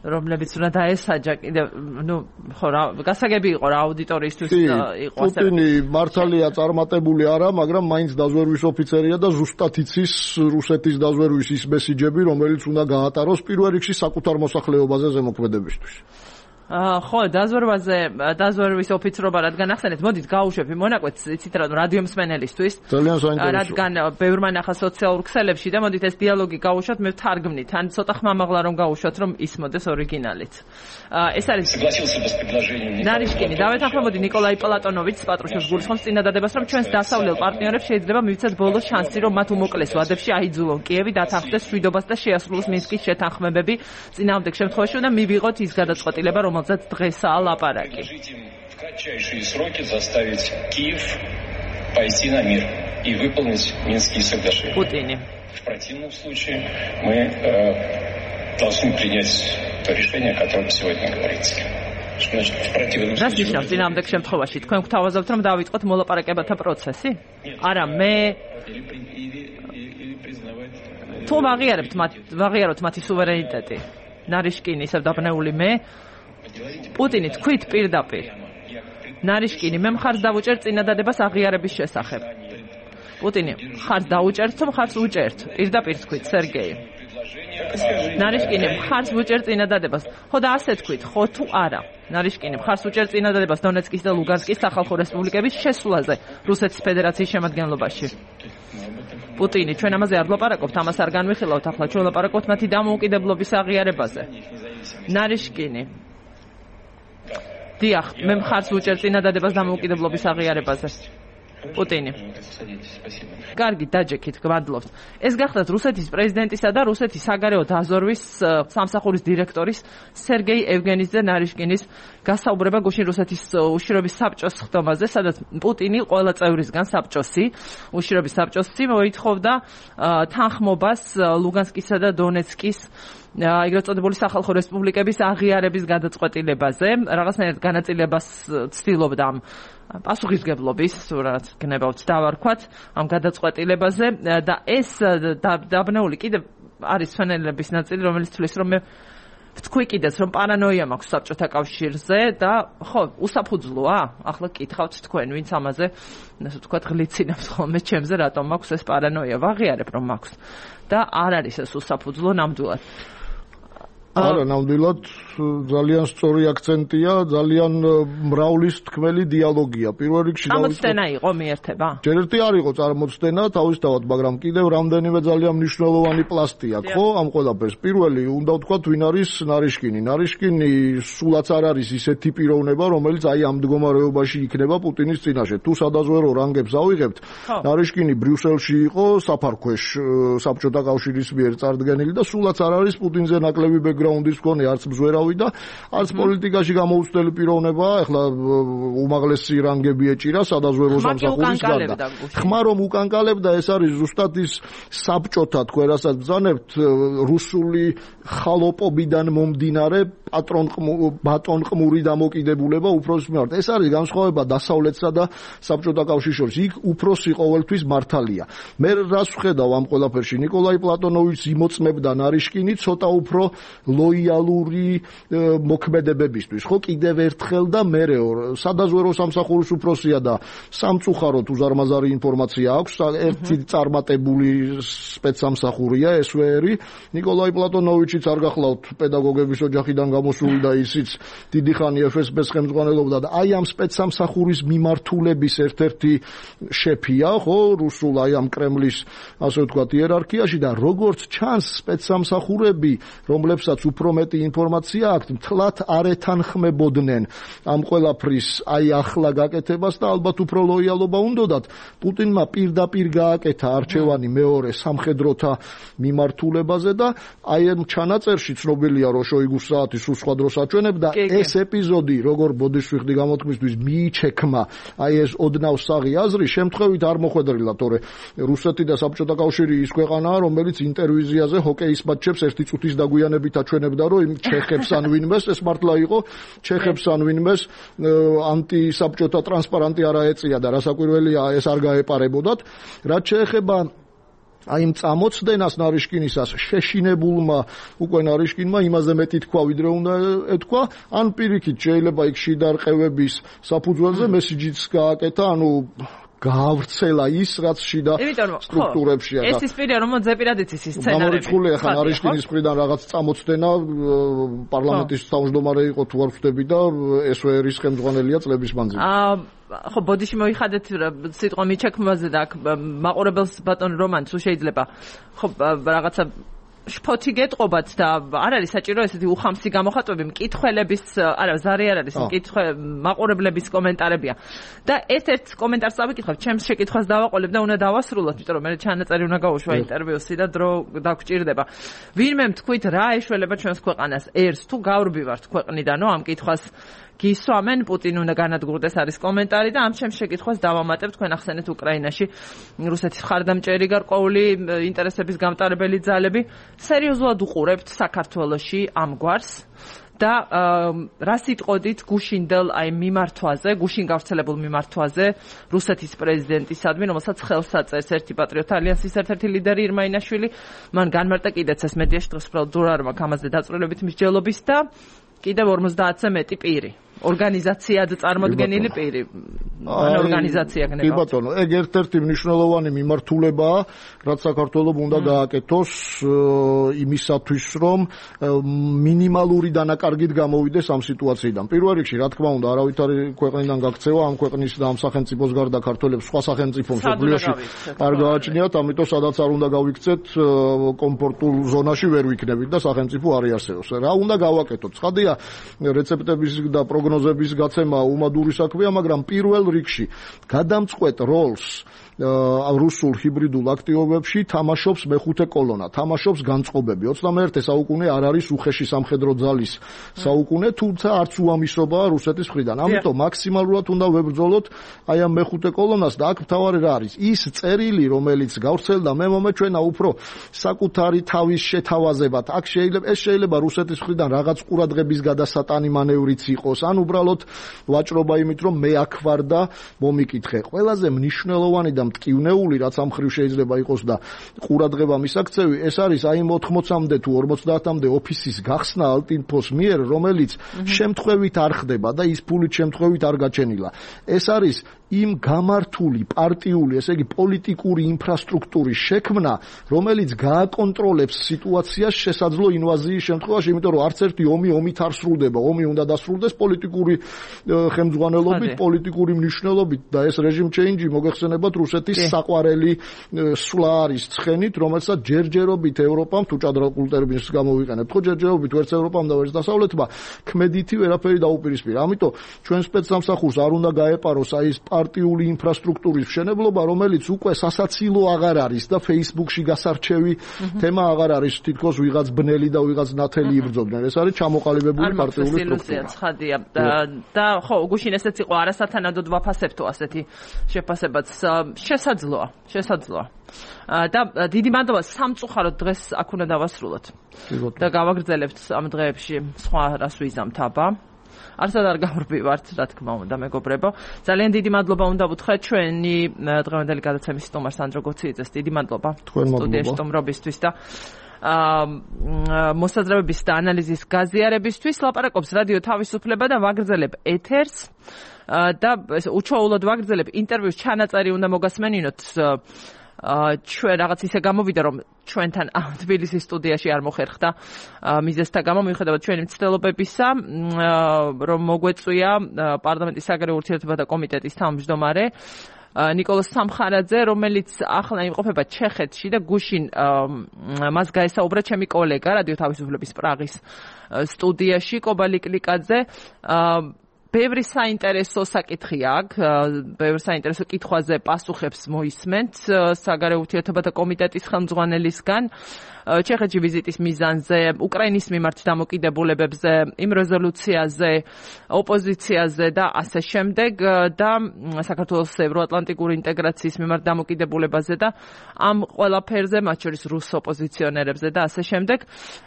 Speaker 1: რომლებიც უნდა დაესაჯა კიდევ, ნუ ხო რა, გასაგები იყო რა აუდიტორიისთვის იყო ასე.
Speaker 2: პუტინი მართალია წარმატებული არა, მაგრამ მაინც დაზვერვის ოფიცერია და ზუსტად იცის რუსეთის დაზვერვის ის მესიჯები, რომელიც უნდა გაატაროს პირველ რიგში საკუთარ მოსახლეობაზე ზემოქმედებისთვის.
Speaker 1: ხო, დაზვერვაზე, დაზვერვის ოფიცრობა რადგან ახსენეთ, მოდით გავუშვებ იმ მონაკვეთს, იცით რა, რადიო მსმენელისთვის.
Speaker 2: ძალიან საინტერესოა.
Speaker 1: რადგან ბევრმა ნახა სოციალურ ქსელებში და მოდით ეს დიალოგი გავუშვათ, მე ვთარგმნით, ან ცოტა ხმამაღლა რომ გავუშვათ, რომ ისმოდეს ორიგინალით. ეს არის ნარიშკინი, დავეთანხმებოდი ნიკოლაი პლატონოვიჩს, პატრუშევს გულისხმობს წინადადებას, რომ ჩვენს დასავლელ პარტნიორებს შეიძლება მივცეთ ბოლო შანსი, რომ მათ უმოკლეს ვადებში აიძულონ კიევი დათანხმდეს მშვიდობას და შეასრულოს მინსკის შეთანხმებები. წინააღმდეგ შემთხვევაში უნდა მივიღოთ ის გადაწყვეტილება, რომელზეც დღესაა ლაპარაკი.
Speaker 4: В кратчайшие сроки заставить Киев пойти на мир и выполнить Минские соглашения.
Speaker 1: Путине.
Speaker 4: В противном случае мы э, должны принять то решение, о котором сегодня говорится. Что значит в противном случае?
Speaker 1: Ნიშნავს წინააღმდეგ შემთხვევაში თქვენ გვთავაზობთ, რომ დავიწყოთ მოლაპარაკებათა პროცესი? არა, მე თუ ვაღიარებთ მათ, ვაღიაროთ მათი სუვერენიტეტი. ნარიშკინი ისევ დაბნეული მე პუტინი თქვით პირდაპირ. ნარიშკინი მე მხარს დავუჭერ წინადადებას აღიარების შესახებ. პუტინი მხარს დაუჭერთ, თუ მხარს უჭერთ? პირდაპირ თქვით სერგეი. ნარიშკინი მხარს უჭერ წინადადებას. ხო და ასე თქვით, ხო თუ არა? ნარიშკინი მხარს უჭერ წინადადებას დონეცკის და ლუგანსკის სახალხო რესპუბლიკების შესვლაზე რუსეთის ფედერაციის შემადგენლობაში. პუტინი ჩვენ ამაზე არ ვლაპარაკობთ, ამას არ განვიხილავთ, ახლა ჩვენ ვლაპარაკობთ მათი დამოუკიდებლობის აღიარებაზე. ნარიშკინი დიახ, მე მხარს ვუჭერ წინადადებას დამოუკიდებლობის აღიარებაზე. პუტინი. კარგი, დაჯექით, გვადლობთ. ეს გახლავთ რუსეთის პრეზიდენტისა და რუსეთის საგარეო დაზვერვის სამსახურის დირექტორის სერგეი ევგენიძე ნარიშკინის გასაუბრება გუშინ რუსეთის უშიშროების საბჭოს ხდომაზე, სადაც პუტინი ყველა წევრისგან საბჭოსი, უშიშროების საბჭოსი მოითხოვდა თანხმობას ლუგანსკისა და დონეცკის ეგრეთ წოდებული სახალხო რესპუბლიკების აღიარების გადაწყვეტილებაზე, რაღაცნაირად განაწილებას ცდილობდა ამ პასუხისგებლობის, რაც გნებავთ დავარქვათ, ამ გადაწყვეტილებაზე და ეს დაბნეული კიდევ არის ფენელების ნაწილი, რომელიც თვლის, რომ მე ვთქვი კიდეც, რომ პარანოია მაქვს საბჭოთა კავშირზე და ხო, უსაფუძვლოა? ახლა გკითხავთ თქვენ, ვინც ამაზე, ასე ვთქვათ, ღლიცინებს ხოლმე ჩემზე, რატომ მაქვს ეს პარანოია? ვაღიარებ, რომ მაქვს. და არ არის ეს უსაფუძვლო ნამდვილად.
Speaker 2: არა, ნამდვილად ძალიან სწორი აქცენტია, ძალიან მრავლის თქმელი დიალოგია. პირველ რიგში
Speaker 1: წარმოცდენა იყო მიერთება?
Speaker 2: ჯერ ერთი არ იყო წარმოცდენა, თავისთავად, მაგრამ კიდევ რამდენიმე ძალიან მნიშვნელოვანი პლასტი აქვს, ხო, ამ ყველაფერს. პირველი, უნდა ვთქვათ, ვინ არის ნარიშკინი. ნარიშკინი სულაც არ არის ისეთი პიროვნება, რომელიც აი ამ მდგომარეობაში იქნება პუტინის წინაშე. თუ სადაზვერო რანგებს ავიღებთ, ნარიშკინი ბრიუსელში იყო საფარქვეშ საბჭოთა კავშირის მიერ წარდგენილი და სულაც არ არის პუტინზე ნაკლები ბექგრაუნდის მქონე, არც მზვერავი და არც პოლიტიკაში გამოუცდელი პიროვნებაა. ეხლა უმაღლესი რანგები ეჭირა სადაზვერო სამსახურის გარდა. ხმა რომ უკანკალებდა, ეს არის ზუსტად ის საბჭოთა, თქვენ რასაც ბრძანებთ, რუსული ხალოპობიდან მომდინარე ბატონყმური დამოკიდებულება უფროსის მიმართ. ეს არის განსხვავება დასავლეთსა და საბჭოთა კავშირის შორის. იქ უფროსი ყოველთვის მართალია. მე რას ვხედავ ამ ყველაფერში? ნიკოლაი პლატონოვიჩს იმოწმებდა ნარიშკინი ცოტა უფრო ლოიალური მოქმედებებისთვის. ხო, კიდევ ერთხელ და მერეო სადაზვერო სამსახურის უფროსია და სამწუხაროდ უზარმაზარი ინფორმაცია აქვს. ერთი წარმატებული სპეცსამსახურია ეს ვერი. ნიკოლაი პლატონოვიჩიც არ გახლავთ პედაგოგების ოჯახიდან გამოსული და ისიც დიდი ხანი ეფ ეს ბეს ხელმძღვანელობდა და აი ამ სპეცსამსახურის მიმართულების ერთ-ერთი შეფია, ხო, რუსულ აი ამ კრემლის ასე ვთქვათ იერარქიაში და როგორც ჩანს სპეცსამსახურები, რომლებსაც უფრო მეტი ინფორმაცია აქვთ, მთლად არ ეთანხმებოდნენ ამ ყველაფრის აი ახლა გაკეთებას და ალბათ უფრო ლოიალობა უნდათ პუტინმა პირდაპირ გააკეთა არჩევანი მეორე სამხედროთა მიმართულებაზე და აი ამ ჩანაწერში ცნობილია რომ შოიგუს საათი სულ სხვა დროს აჩვენებდა ეს ეპიზოდი როგორ ბოდიშვილი გამოთქმისთვის მიიჩექმა აი ეს ოდნავ საღი აზრი შემთხვევით არ მოხვედრილა თორე რუსეთი და საბჭოთა კავშირი ის ქვეყანაა რომელიც ინტერვიზიაზე ჰოკეის მატჩებს ერთი წუთის დაგვიანებით აჩვენებდა რომ იმ ჩეხებს ან ვინმეს ეს მართლა იყო ჩეხებს ან ვინმეს ანტისაბჭოთა ტრანსპარანტი არა ეწია და რასაკვირველია ეს არ გაეპარებოდათ რაც შეეხება აი იმ წამოწდენას ნარიშკინისას შეშინებულმა უკვე ნარიშკინმა იმაზე მეტი თქვა ვიდრე უნდა ეთქვა ან პირიქით შეიძლება იქ შიდარყევების საფუძველზე მესიჯიც გააკეთა ანუ გაავრცელა ის რაც შიდა სტრუქტურებშია
Speaker 1: და ეს ის პირია რომ ზეპირადიც ის სცენარები
Speaker 2: გამორიცხულია ხან არიშკინის მხრიდან რაღაც წამოწდენა პარლამენტის თავმჯდომარე იყო თუ არ ვხვდები და ესვერის ხელმძღვანელია წლების მანძილზე
Speaker 1: აა ხო ბოდიში მოიხადეთ სიტყვა მიჩექმაზე და მაყურებელს ბატონ რომან თუ შეიძლება ხო რაღაცა შფოთი გეტყობათ და არ არის საჭირო ესეთი უხამსი გამოხატვები მკითხველების არა ზარი არ არის მკითხე მაყურებლების კომენტარებია და ერთ-ერთ კომენტარს წავიკითხავ ჩემს შეკითხვას დავაყოლებ და უნდა დავასრულოთ იმიტომ რომ მე ჩანაწერი უნდა გავუშვა ინტერვიუსი და დრო დაგჭირდება ვინმე თქვით რა ეშველება ჩვენს ქვეყანას ერს თუ გავრბივართ ქვეყნიდანო ამ კითხვას გისვამენ პუტინ უნდა განადგურდეს არის კომენტარი და ამ ჩემს შეკითხვას დავამატებ თქვენ ახსენეთ უკრაინაში რუსეთის მხარდამჭერი გარკვეული ინტერესების გამტარებელი ძალები სერიოზულად უყურებთ საქართველოში ამ გვარს და რა სიტყოდით გუშინდელ აი მიმართვაზე, გუშინ გავრცელებულ მიმართვაზე რუსეთის პრეზიდენტისადმი, რომელსაც ხელს აწერს ერთი პატრიოტთა ალიანსის ერთ-ერთი ლიდერი ირმა ინაშვილი, მან განმარტა კიდეც ეს მედიაში დღეს უბრალოდ არ მაქვს ამაზე დაწვრილებით მსჯელობის და კიდევ ორმოცდაათზე მეტი პირი ორგანიზაციად წარმოდგენილი პირი ან ორგანიზაცია გნება.
Speaker 2: კი ბატონო, ეგ ერთ-ერთი მნიშვნელოვანი მიმართულებაა, რაც საქართველოს უნდა გააკეთოს იმისათვის, რომ მინიმალური დანაკარგით გამოვიდეს ამ სიტუაციიდან. პირველ რიგში, რა თქმა უნდა, არავითარი ქვეყნიდან გაქცევა ამ ქვეყნის და ამ სახელმწიფოს გარდა ქართველებს სხვა სახელმწიფო მსოფლიოში არ გააჩნიათ, ამიტომ სადაც არ უნდა გავიქცეთ კომფორტულ ზონაში ვერ ვიქნებით და სახელმწიფო არ იარსებობს. რა უნდა გავაკეთოთ? ცხადია, რეცეპტების და პროგნოზების გაცემა უმადური საქმეა, მაგრამ პირველ რიგში გადამწყვეტ როლს რუსულ ჰიბრიდულ აქტივობებში თამაშობს მეხუთე კოლონა, თამაშობს განწყობები. ოცდამეერთე საუკუნე არ არის უხეში სამხედრო ძალის საუკუნე, თუმცა არც უამისობაა რუსეთის მხრიდან. ამიტომ მაქსიმალურად უნდა ვებრძოლოთ აი ამ მეხუთე კოლონას და აქ მთავარი რა არის? ის წერილი, რომელიც გავრცელდა მე მომეჩვენა უფრო საკუთარი თავის შეთავაზებად. აქ შეიძლება ეს შეიძლება რუსეთის მხრიდან რაღაც ყურადღების გადასატანი მანევრიც იყოს, ან უბრალოდ ვაჭრობა იმით, რომ მე აქ ვარ და მომიკითხე. ყველაზე მნიშვნელოვანი და მტკივნეული, რაც ამ ხრივ შეიძლება იყოს და ყურადღება მისაქცევი, ეს არის აი ოთხმოცამდე თუ ორმოცდაათამდე ოფისის გახსნა ალტინფოს მიერ, რომელიც შემთხვევით არ ხდება და ის ფულით შემთხვევით არ გაჩენილა. ეს არის იმ გამართული პარტიული, ესე იგი პოლიტიკური ინფრასტრუქტურის შექმნა, რომელიც გააკონტროლებს სიტუაციას შესაძლო ინვაზიის შემთხვევაში, იმიტომ რომ არც ერთი ომი ომით არ სრულდება. ომი უნდა დასრულდეს პოლიტიკური ხელმძღვანელობით, პოლიტიკური მნიშვნელობით და ეს რეჟიმ ჩეინჯი მოგეხსენებათ რუსეთის საყვარელი სვლა არის ცხენით, რომელსაც ჯერჯერობით ევროპამ თუ ჭადრაკულ ტერმინს გამოვიყენებთ, ხო ჯერჯერობით ვერც ევროპამ და ვერც დასავლეთმა ქმედითი ვერაფერი დაუპირისპირა. ამიტომ ჩვენ სპეცსამსახურს არ უნდა გაეპაროს აი ეს პარტიული ინფრასტრუქტურის მშენებლობა, რომელიც უკვე სასაცილო აღარ არის და Facebook-ში გასარჩევი თემა აღარ არის, თითქოს ვიღაც ბნელი და ვიღაც ნათელი იბრძოდნენ. ეს არის ჩამოყალიბებული პარტიული სტრუქტურა.
Speaker 1: ცხადია და ხო, გუშინ ესეც იყო არასათანადოდ ვაფასებთო ასეთი შეფასებაც შესაძლოა, შესაძლოა. და დიდი მადლობა სამწუხაროდ დღეს აქ უნდა დავასრულოთ. და გავაგრძელებთ ამ დღეებში სხვა რას ვიზამთ აბა. არცად არ გავრბივართ, რა თქმა უნდა, მეგობრებო. ძალიან დიდი მადლობა უნდა ვუთხრათ ჩვენი დღევანდელი გადაცემის სტუმარ სანდრო გოციიძეს. დიდი მადლობა სტუდიაში სტუმრობისთვის და მოსაზრებების და ანალიზის გაზიარებისთვის. ლაპარაკობს რადიო თავისუფლება და ვაგრძელებ ეთერს და უჩვეულოდ ვაგრძელებ ინტერვიუს ჩანაწერი უნდა მოგასმენინოთ. ჩვენ რაღაც ისე გამოვიდა რომ ჩვენთან თბილისის სტუდიაში არ მოხერხდა მიზეზთა გამო მიუხედავად ჩვენი მცდელობებისა რომ მოგვეწვია პარლამენტის საგარეო ურთიერთობათა კომიტეტის თავმჯდომარე ნიკოლოზ სამხარაძე, რომელიც ახლა იმყოფება ჩეხეთში და გუშინ მას გაესაუბრა ჩემი კოლეგა რადიო თავისუფლების პრაღის სტუდიაში კობალი კლიკაძე. ბევრი საინტერესო საკითხი აქვს, ბევრი საინტერესო კითხვაზე პასუხებს მოისმენთ საგარეო ურთიერთობათა კომიტეტის ხელმძღვანელისგან. ჩეხეთში ვიზიტის მიზანზე, უკრაინის მიმართ დამოკიდებულებებზე, იმ რეზოლუციაზე, ოპოზიციაზე და ასე შემდეგ და საქართველოს ევროატლანტიკური ინტეგრაციის მიმართ დამოკიდებულებაზე და ამ ყველაფერზე, მათ შორის რუს ოპოზიციონერებზე და ასე შემდეგ.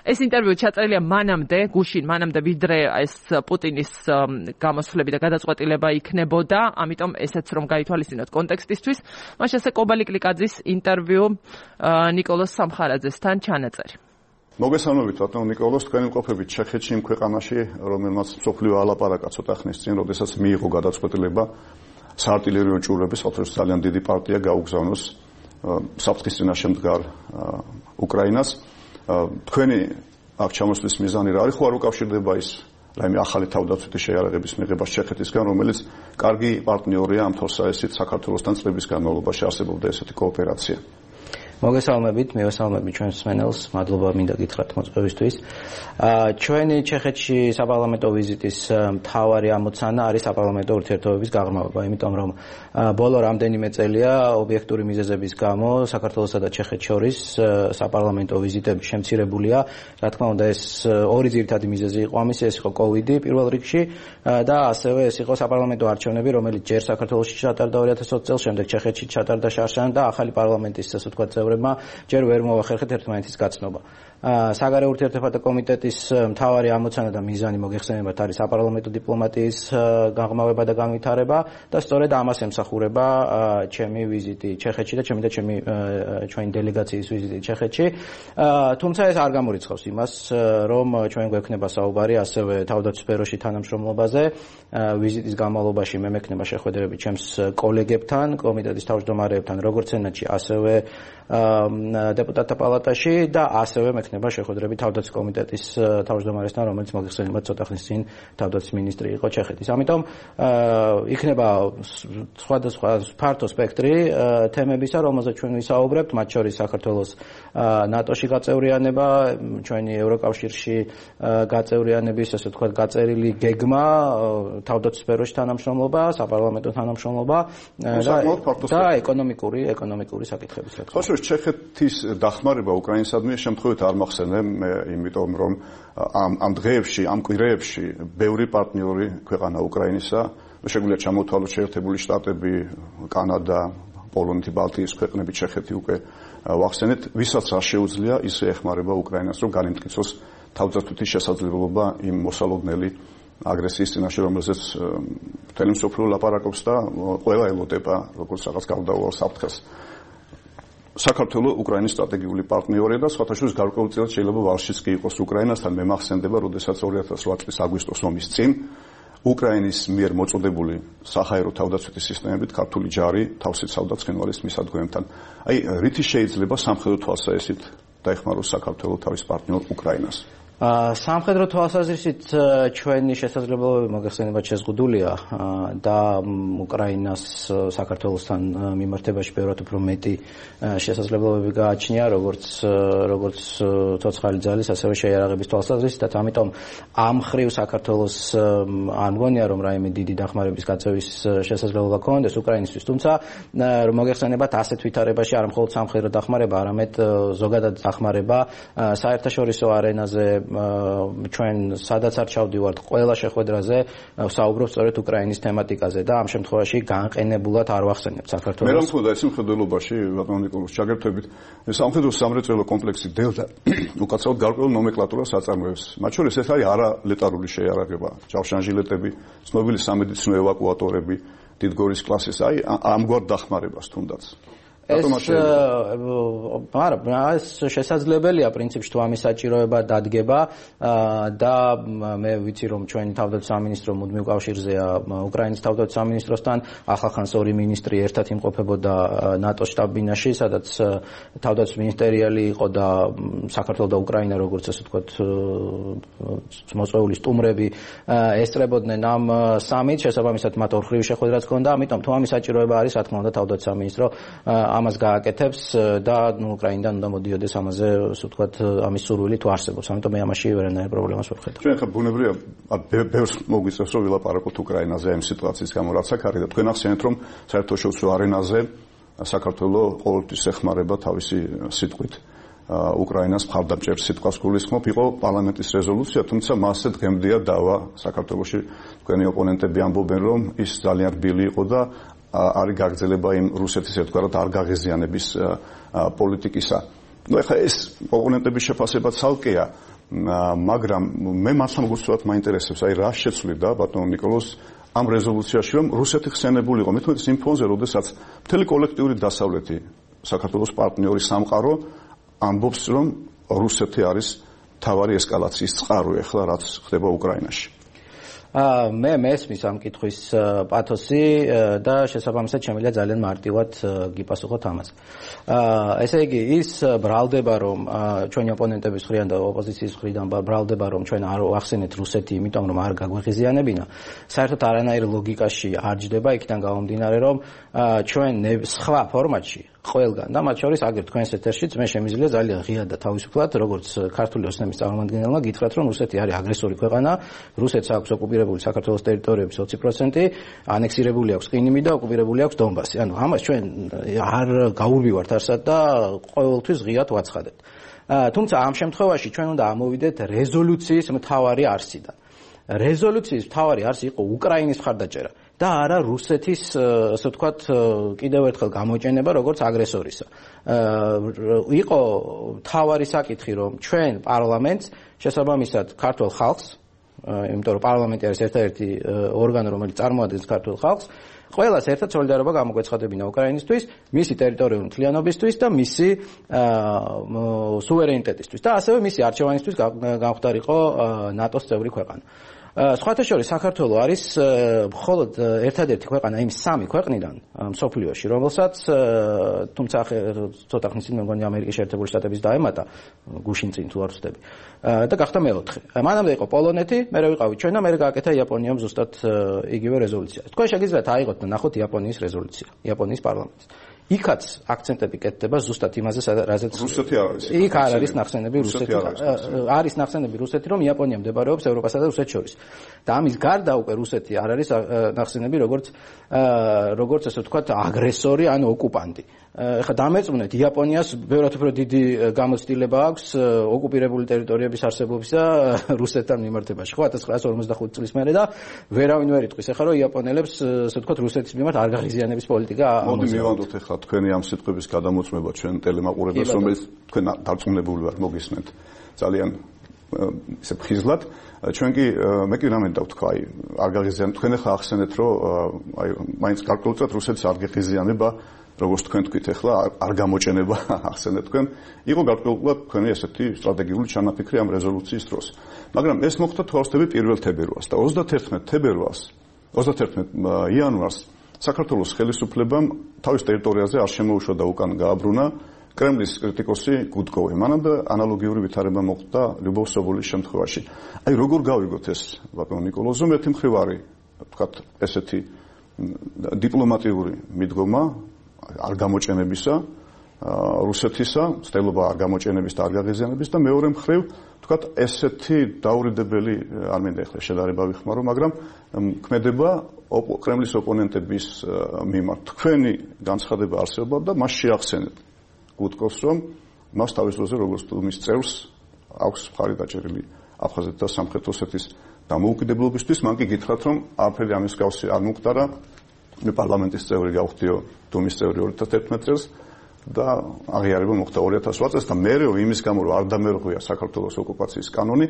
Speaker 1: ეს ინტერვიუ ჩაწერილია მანამდე, გუშინ მანამდე ვიდრე ეს პუტინის გამოსვლები და გადაწყვეტილება იქნებოდა, ამიტომ ესეც რომ გაითვალისწინოთ კონტექსტისთვის, მას ასე კობალი კლიკაძის ინტერვიუ ნიკოლოზ სამხარაძესთან ჩანაწერი.
Speaker 5: მოგესალმებით ბატონო ნიკოლოზ, თქვენი მყოფებით ჩეხეთში იმ ქვეყანაში, რომელმაც მსოფლიო ალაპარაკა ცოტა ხნის წინ, როდესაც მიიღო გადაწყვეტილება საარტილერიო ჭურვების, ოთხ ძალიან დიდი პარტია გაუგზავნოს საფრთხის წინაშე მდგარ უკრაინას. თქვენი აქ ჩამოსვლის მიზანი რა არის, ხო არ უკავშირდება ის რაიმე ახალი თავდაცვითი შეიარაღების მიღება ჩეხეთისგან, რომელიც კარგი პარტნიორია ამ თორსაესით საქართველოსთან წლების განმავლობაში არსებობდა ესეთი კოოპერაცია.
Speaker 6: მოგესალმებით, მივესალმებით ჩვენს მსმენელს, მადლობა მინდა გითხრათ მოწვევისთვის. ჩვენი ჩეხეთში საპარლამენტო ვიზიტის მთავარი ამოცანა არის საპარლამენტო ურთიერთობების გაღრმავება, იმიტომ რომ ბოლო რამდენიმე წელია ობიექტური მიზეზების გამო საქართველოსა და ჩეხეთს შორის საპარლამენტო ვიზიტები შემცირებულია. რა თქმა უნდა, ეს ორი ძირითადი მიზეზი იყო ამისი, ეს იყო კოვიდი პირველ რიგში და ასევე ეს იყო საპარლამენტო არჩევნები, რომელიც ჯერ საქართველოში ჩატარდა ორი ათას ოცი წელს, შემდეგ ჩეხეთში ჩატარდა შარშან და ახალი პარლამენტის ასე ვთქვათ წევრებმა ჯერ ვერ მოახერხეთ ერთმანეთის გაცნობა. საგარეო ურთიერთობათა კომიტეტის მთავარი ამოცანა და მიზანი მოგეხსენებათ არის საპარლამენტო დიპლომატიის გაღრმავება და განვითარება და სწორედ ამას ემსახურება ჩემი ვიზიტი ჩეხეთში და ჩემი და ჩემი ჩვენი დელეგაციის ვიზიტი ჩეხეთში. თუმცა ეს არ გამორიცხავს იმას, რომ ჩვენ გვექნება საუბარი ასევე თავდაცვის სფეროში თანამშრომლობაზე. ვიზიტის განმავლობაში მე მექნება შეხვედრები ჩემს კოლეგებთან, კომიტეტის თავმჯდომარეებთან, როგორც სენატში, ასევე დეპუტატთა პალატაში და ასევე მექნება შეხვედრები თავდაცვის კომიტეტის თავმჯდომარესთან, რომელიც მოგეხსენებათ ცოტა ხნის წინ თავდაცვის მინისტრი იყო ჩეხეთის. ამიტომ იქნება სხვადასხვა ფართო სპექტრი თემებისა, რომელზეც ჩვენ ვისაუბრებთ, მათ შორის საქართველოს ნატოში გაწევრიანება, ჩვენი ევროკავშირში გაწევრიანების, ასე ვთქვათ, გაწერილი გეგმა, თავდაცვის სფეროში თანამშრომლობა, საპარლამენტო თანამშრომლობა და ეკონომიკური ეკონომიკური საკითხების.
Speaker 5: ჩეხეთის დახმარება უკრაინისადმი შემთხვევით არ მახსენე, იმიტომ რომ ამ ამ დღეებში, ამ კვირეებში ბევრი პარტნიორი ქვეყანა უკრაინისა, შეგვიძლია ჩამოთვალოთ შეერთებული შტატები, კანადა, პოლონეთი, ბალტიის ქვეყნები, ჩეხეთი უკვე ვახსენეთ, ვისაც არ შეუძლია ისე ეხმარება უკრაინას, რომ განიმტკიცოს თავდაცვითი შესაძლებლობა იმ მოსალოდნელი აგრესიის წინაშე, რომელზეც მთელი მსოფლიო ლაპარაკობს და ყველა ელოდება როგორც რაღაც გარდაუვალ საფრთხეს. საქართველო უკრაინის სტრატეგიული პარტნიორია და სხვათა შორის გარკვეულწილად შეიძლება ვალშიც კი იყოს უკრაინასთან. მე მახსენდება, როდესაც ორი ათას ოთხ წლის აგვისტოს ომის წინ უკრაინის მიერ მოწოდებული საჰაერო თავდაცვითი სისტემებით ქართული ჯარი თავს იცავდა ცხინვალის მისადგომებთან. აი, რითი შეიძლება სამხედრო თვალსაჩინით დაეხმაროს საქართველო თავის პარტნიორ უკრაინას?
Speaker 6: სამხედრო თვალსაზრისით ჩვენი შესაძლებლობები მოგეხსენებათ შეზღუდულია და უკრაინას საქართველოსთან მიმართებაში ბევრად უფრო მეტი შესაძლებლობები გააჩნია, როგორც როგორც ცოცხალი ძალის, ასევე შეიარაღების თვალსაზრისით. ამიტომ ამ ხრივ საქართველოს არ მგონია, რომ რაიმე დიდი დახმარების გაწევის შესაძლებლობა ქონდეს უკრაინისთვის. თუმცა მოგეხსენებათ ასეთ ვითარებაში არ მხოლოდ სამხედრო დახმარება, არამედ ზოგადად დახმარება საერთაშორისო არენაზე ჩვენ სადაც არ ჩავდივართ, ყველა შეხვედრაზე საუბრობთ სწორედ უკრაინის თემატიკაზე და ამ შემთხვევაში განყენებულად არ ვახსენებთ საქართველოს.
Speaker 5: მე რა მქონდა ეს მხედველობაში, ბატონო ნიკოლოზ, ჩაგერთვებით, სამხედრო სამრეწველო კომპლექსი დელტა უკაცრავად გარკვეულ ნომენკლატურას აწარმოებს. მათ შორის ეს არის არალეტარული შეიარაღება, ჯავშანჟილეტები, ცნობილი სამედიცინო ევაკუატორები, დიდგორის კლასის, აი ამგვარ დახმარებას თუნდაც.
Speaker 6: მაგრამ ეს შესაძლებელია პრინციპში თუ ამის საჭიროება დადგება და მე ვიცი რომ ჩვენი თავდაცვის სამინისტრო მუდმივ კავშირზეა უკრაინის თავდაცვის სამინისტროსთან, ახალხანს ორი მინისტრი ერთად იმყოფებოდა ნატოს შტაბ-ბინაში, სადაც თავდაცვის მინისტერიალი იყო და საქართველოს და უკრაინა როგორც ასე ვთქვათ მოწვეული სტუმრები ესწრებოდნენ ამ სამით, შესაბამისად მათ ორხრივი შეხვედრაც ჰქონდა, ამიტომ თუ ამის საჭიროება არის, რა თქმა უნდა თავდაცვის სამინისტრო ამას გააკეთებს და ნუ უკრაინიდან უნდა მოდიოდეს ამაზე, ასე ვთქვათ, ამის სურვილი თუ არსებობს. ამიტომ მე ამაში ვერანაირ პრობლემას ვერ ხედავ.
Speaker 5: ჩვენ ხა ბუნებრივია ბევრს მოგვიწევს რომ ვილაპარაკოთ უკრაინაზე ამ სიტუაციის გამო, რაც აქ არის და თქვენ ახსენეთ რომ საერთაშორისო არენაზე საქართველოს ყოველთვის ეხმარება თავისი სიტყვით უკრაინას მხარდამჭერ სიტყვას გულისხმობ, იყო პარლამენტის რეზოლუცია, თუმცა მასზე დღემდეა დავა საქართველოში თქვენი ოპონენტები ამბობენ რომ ის ძალიან რბილი იყო და არის გაგრძელება იმ რუსეთის ერთგვარად არ გაღიზიანების პოლიტიკისა. ნუ ეხლა ეს ოპონენტების შეფასება ცალკეა, მაგრამ მე მართლა მოგწევთ მაინტერესებს, აი რა შეცვლიდა ბატონ ნიკოლოზ ამ რეზოლუციაში რომ რუსეთი ხსენებული იყო, მეთქე იმ ფონზე, როდესაც მთელი კოლექტიური დასავლეთი საქართველოს პარტნიორი სამყარო ამბობს რომ რუსეთი არის თავარი ესკალაციის წყარო ეხლა რაც ხდება უკრაინაში.
Speaker 6: მე მესმის ამ კითხვის პათოსი და შესაბამისად შემიძლია ძალიან მარტივად გიპასუხოთ ამაზე. ესე იგი ის ბრალდება რომ ჩვენი ოპონენტების მხრიდან და ოპოზიციის მხრიდან ბრალდება რომ ჩვენ არ ახსენეთ რუსეთი, იმიტომ რომ არ გაგვეხიზიანებინა. საერთოდ არანაირ ლოგიკაში არ ჯდება იქიდან გამომდინარე რომ ჩვენ სხვა ფორმატში ყველგან და მათ შორის აგერ თქვენს ეთერშიც მე შემიძლია ძალიან ღიად და თავისუფლად როგორც ქართული ოცნების წარმომადგენელმა გითხრათ რომ რუსეთი არის აგრესორი ქვეყანა, რუსეთს აქვს ოკუპირებული საქართველოს ტერიტორიების ოცი პროცენტი, ანექსირებული აქვს ყინიმი და ოკუპირებული აქვს დონბასი. ანუ ამას ჩვენ არ გაურბივართ არსად და ყოველთვის ღიად ვაცხადებთ. თუმცა ამ შემთხვევაში ჩვენ უნდა ამოვიდეთ რეზოლუციის მთავარი არსიდან. რეზოლუციის მთავარი არსი იყო უკრაინის მხარდაჭერა და არა რუსეთის, ასე ვთქვათ, კიდევ ერთხელ გამოჩენება როგორც აგრესორისა. იყო მთავარი საკითხი, რომ ჩვენ პარლამენტს შესაბამისად ქართულ ხალხს, იმიტომ რომ პარლამენტი არის ერთადერთი ორგანო, რომელიც წარმოადგენს ქართულ ხალხს, ყველას ერთად სოლიდარობა გამოგვეცხადებინა უკრაინისთვის, მისი ტერიტორიული მთლიანობისთვის და მისი სუვერენიტეტისთვის და ასევე მისი არჩევანისთვის გამختارიყო ნატოს წევრი ქვეყანა. სხვათა შორის საქართველოს არის მხოლოდ ერთადერთი ქვეყანა იმ სამი ქვეყნიდან მსოფლიოში, რომელსაც თუმცა ცოტა ხნის წინ მე მგონი ამერიკის შეერთებული შტატების დაემატა გუშინ წინ თუ არ ვცდები და გახდა მეოთხე. მანამდე იყო პოლონეთი, მერე ვიყავით ჩვენ და მერე გააკეთა იაპონიამ ზუსტად იგივე რეზოლუცია. თქვენ შეგიძლიათ აიღოთ და ნახოთ იაპონიის რეზოლუცია, იაპონიის პარლამენტის. იქაც აქცენტები კეთდება ზუსტად იმაზე, რაზეც
Speaker 5: რუსეთი არის.
Speaker 6: იქ არ არის ნახსენები რუსეთი. არის ნახსენები რუსეთი, რომ იაპონია მდებარეობს ევროპასა და რუსეთს შორის. და ამის გარდა უკვე რუსეთი არ არის ნახსენები როგორც როგორც ასე ვთქვათ აგრესორი ან ოკუპანტი. ეხლა დამერწმუნეთ იაპონიას ბევრად უფრო დიდი გამოცდილება აქვს ოკუპირებული ტერიტორიების არსებობისა რუსეთთან მიმართებაში. ხო ათას ცხრაასი ორმოცდახუთი წლის მერე და ვერავინ ვერ იტყვის ეხლა რომ იაპონელებს ასე ვთქვათ რუსეთის მიმართ არ გაღიზიანების პოლიტიკა
Speaker 5: მოდი მივანდოთ ეხლა თქვენი ამ სიტყვების გადამოწმება ჩვენ ტელემაყურებელს, რომელიც თქვენ დარწმუნებული ვარ მოგისმენთ ძალიან ისე ფხიზლად. ჩვენ კი მე კი რამე დავთქვა, აი არ გაღიზიან თქვენ ახლა ახსენეთ რომ აი მაინც გარკვეულწილად რუსეთს არ გაღიზიანება, როგორც თქვენ თქვით ახლა არ გამოჩენება ახსენეთ თქვენ, იყო გარკვეულად თქვენი ესეთი სტრატეგიული ჩანაფიქრი ამ რეზოლუციის დროს. მაგრამ ეს მოხდა თვალსწრაფი პირველ თებერვალს და ოცდათერთმეტ თებერვალს, ოცდათერთმეტ იანვარს საქართველოს ხელისუფლებამ თავის ტერიტორიაზე არ შემოუშვა და უკან გააბრუნა კრემლის კრიტიკოსი გუდკოვი. მანამდე ანალოგიური ვითარება მოხდა ლიუბოვ სობოლის შემთხვევაში. აი როგორ გავიგოთ ეს ბატონ ნიკოლოზო, ერთი მხრივ არის ვთქვათ ესეთი დიპლომატიური მიდგომა არ გამოჩენებისა რუსეთისა, ცდილობა არ გამოჩენების და არ გაღიზიანების და მეორე მხრივ ვთქვათ ესეთი დაურიდებელი არ მინდა ეხლა შედარება ვიხმარო, მაგრამ ქმედება კრემლის ოპონენტების მიმართ. თქვენი განცხადება არსებობდა და მას შეახსენეთ გუდკოვს, რომ მას თავის დროზე როგორც მის წევრს აქვს მხარი დაჭერილი აფხაზეთის და სამხრეთ ოსეთის დამოუკიდებლობისთვის. მან კი გითხრათ, რომ არაფერი ამის გავსი არ მომხდარა. მე პარლამენტის წევრი გავხდიო დუმის წევრი ორი ათას თერთმეტ წელს და აღიარება მოხდა ორი ათას ოთხ წელს და მერე იმის გამო რომ არ დამერღვია საქართველოს ოკუპაციის კანონი,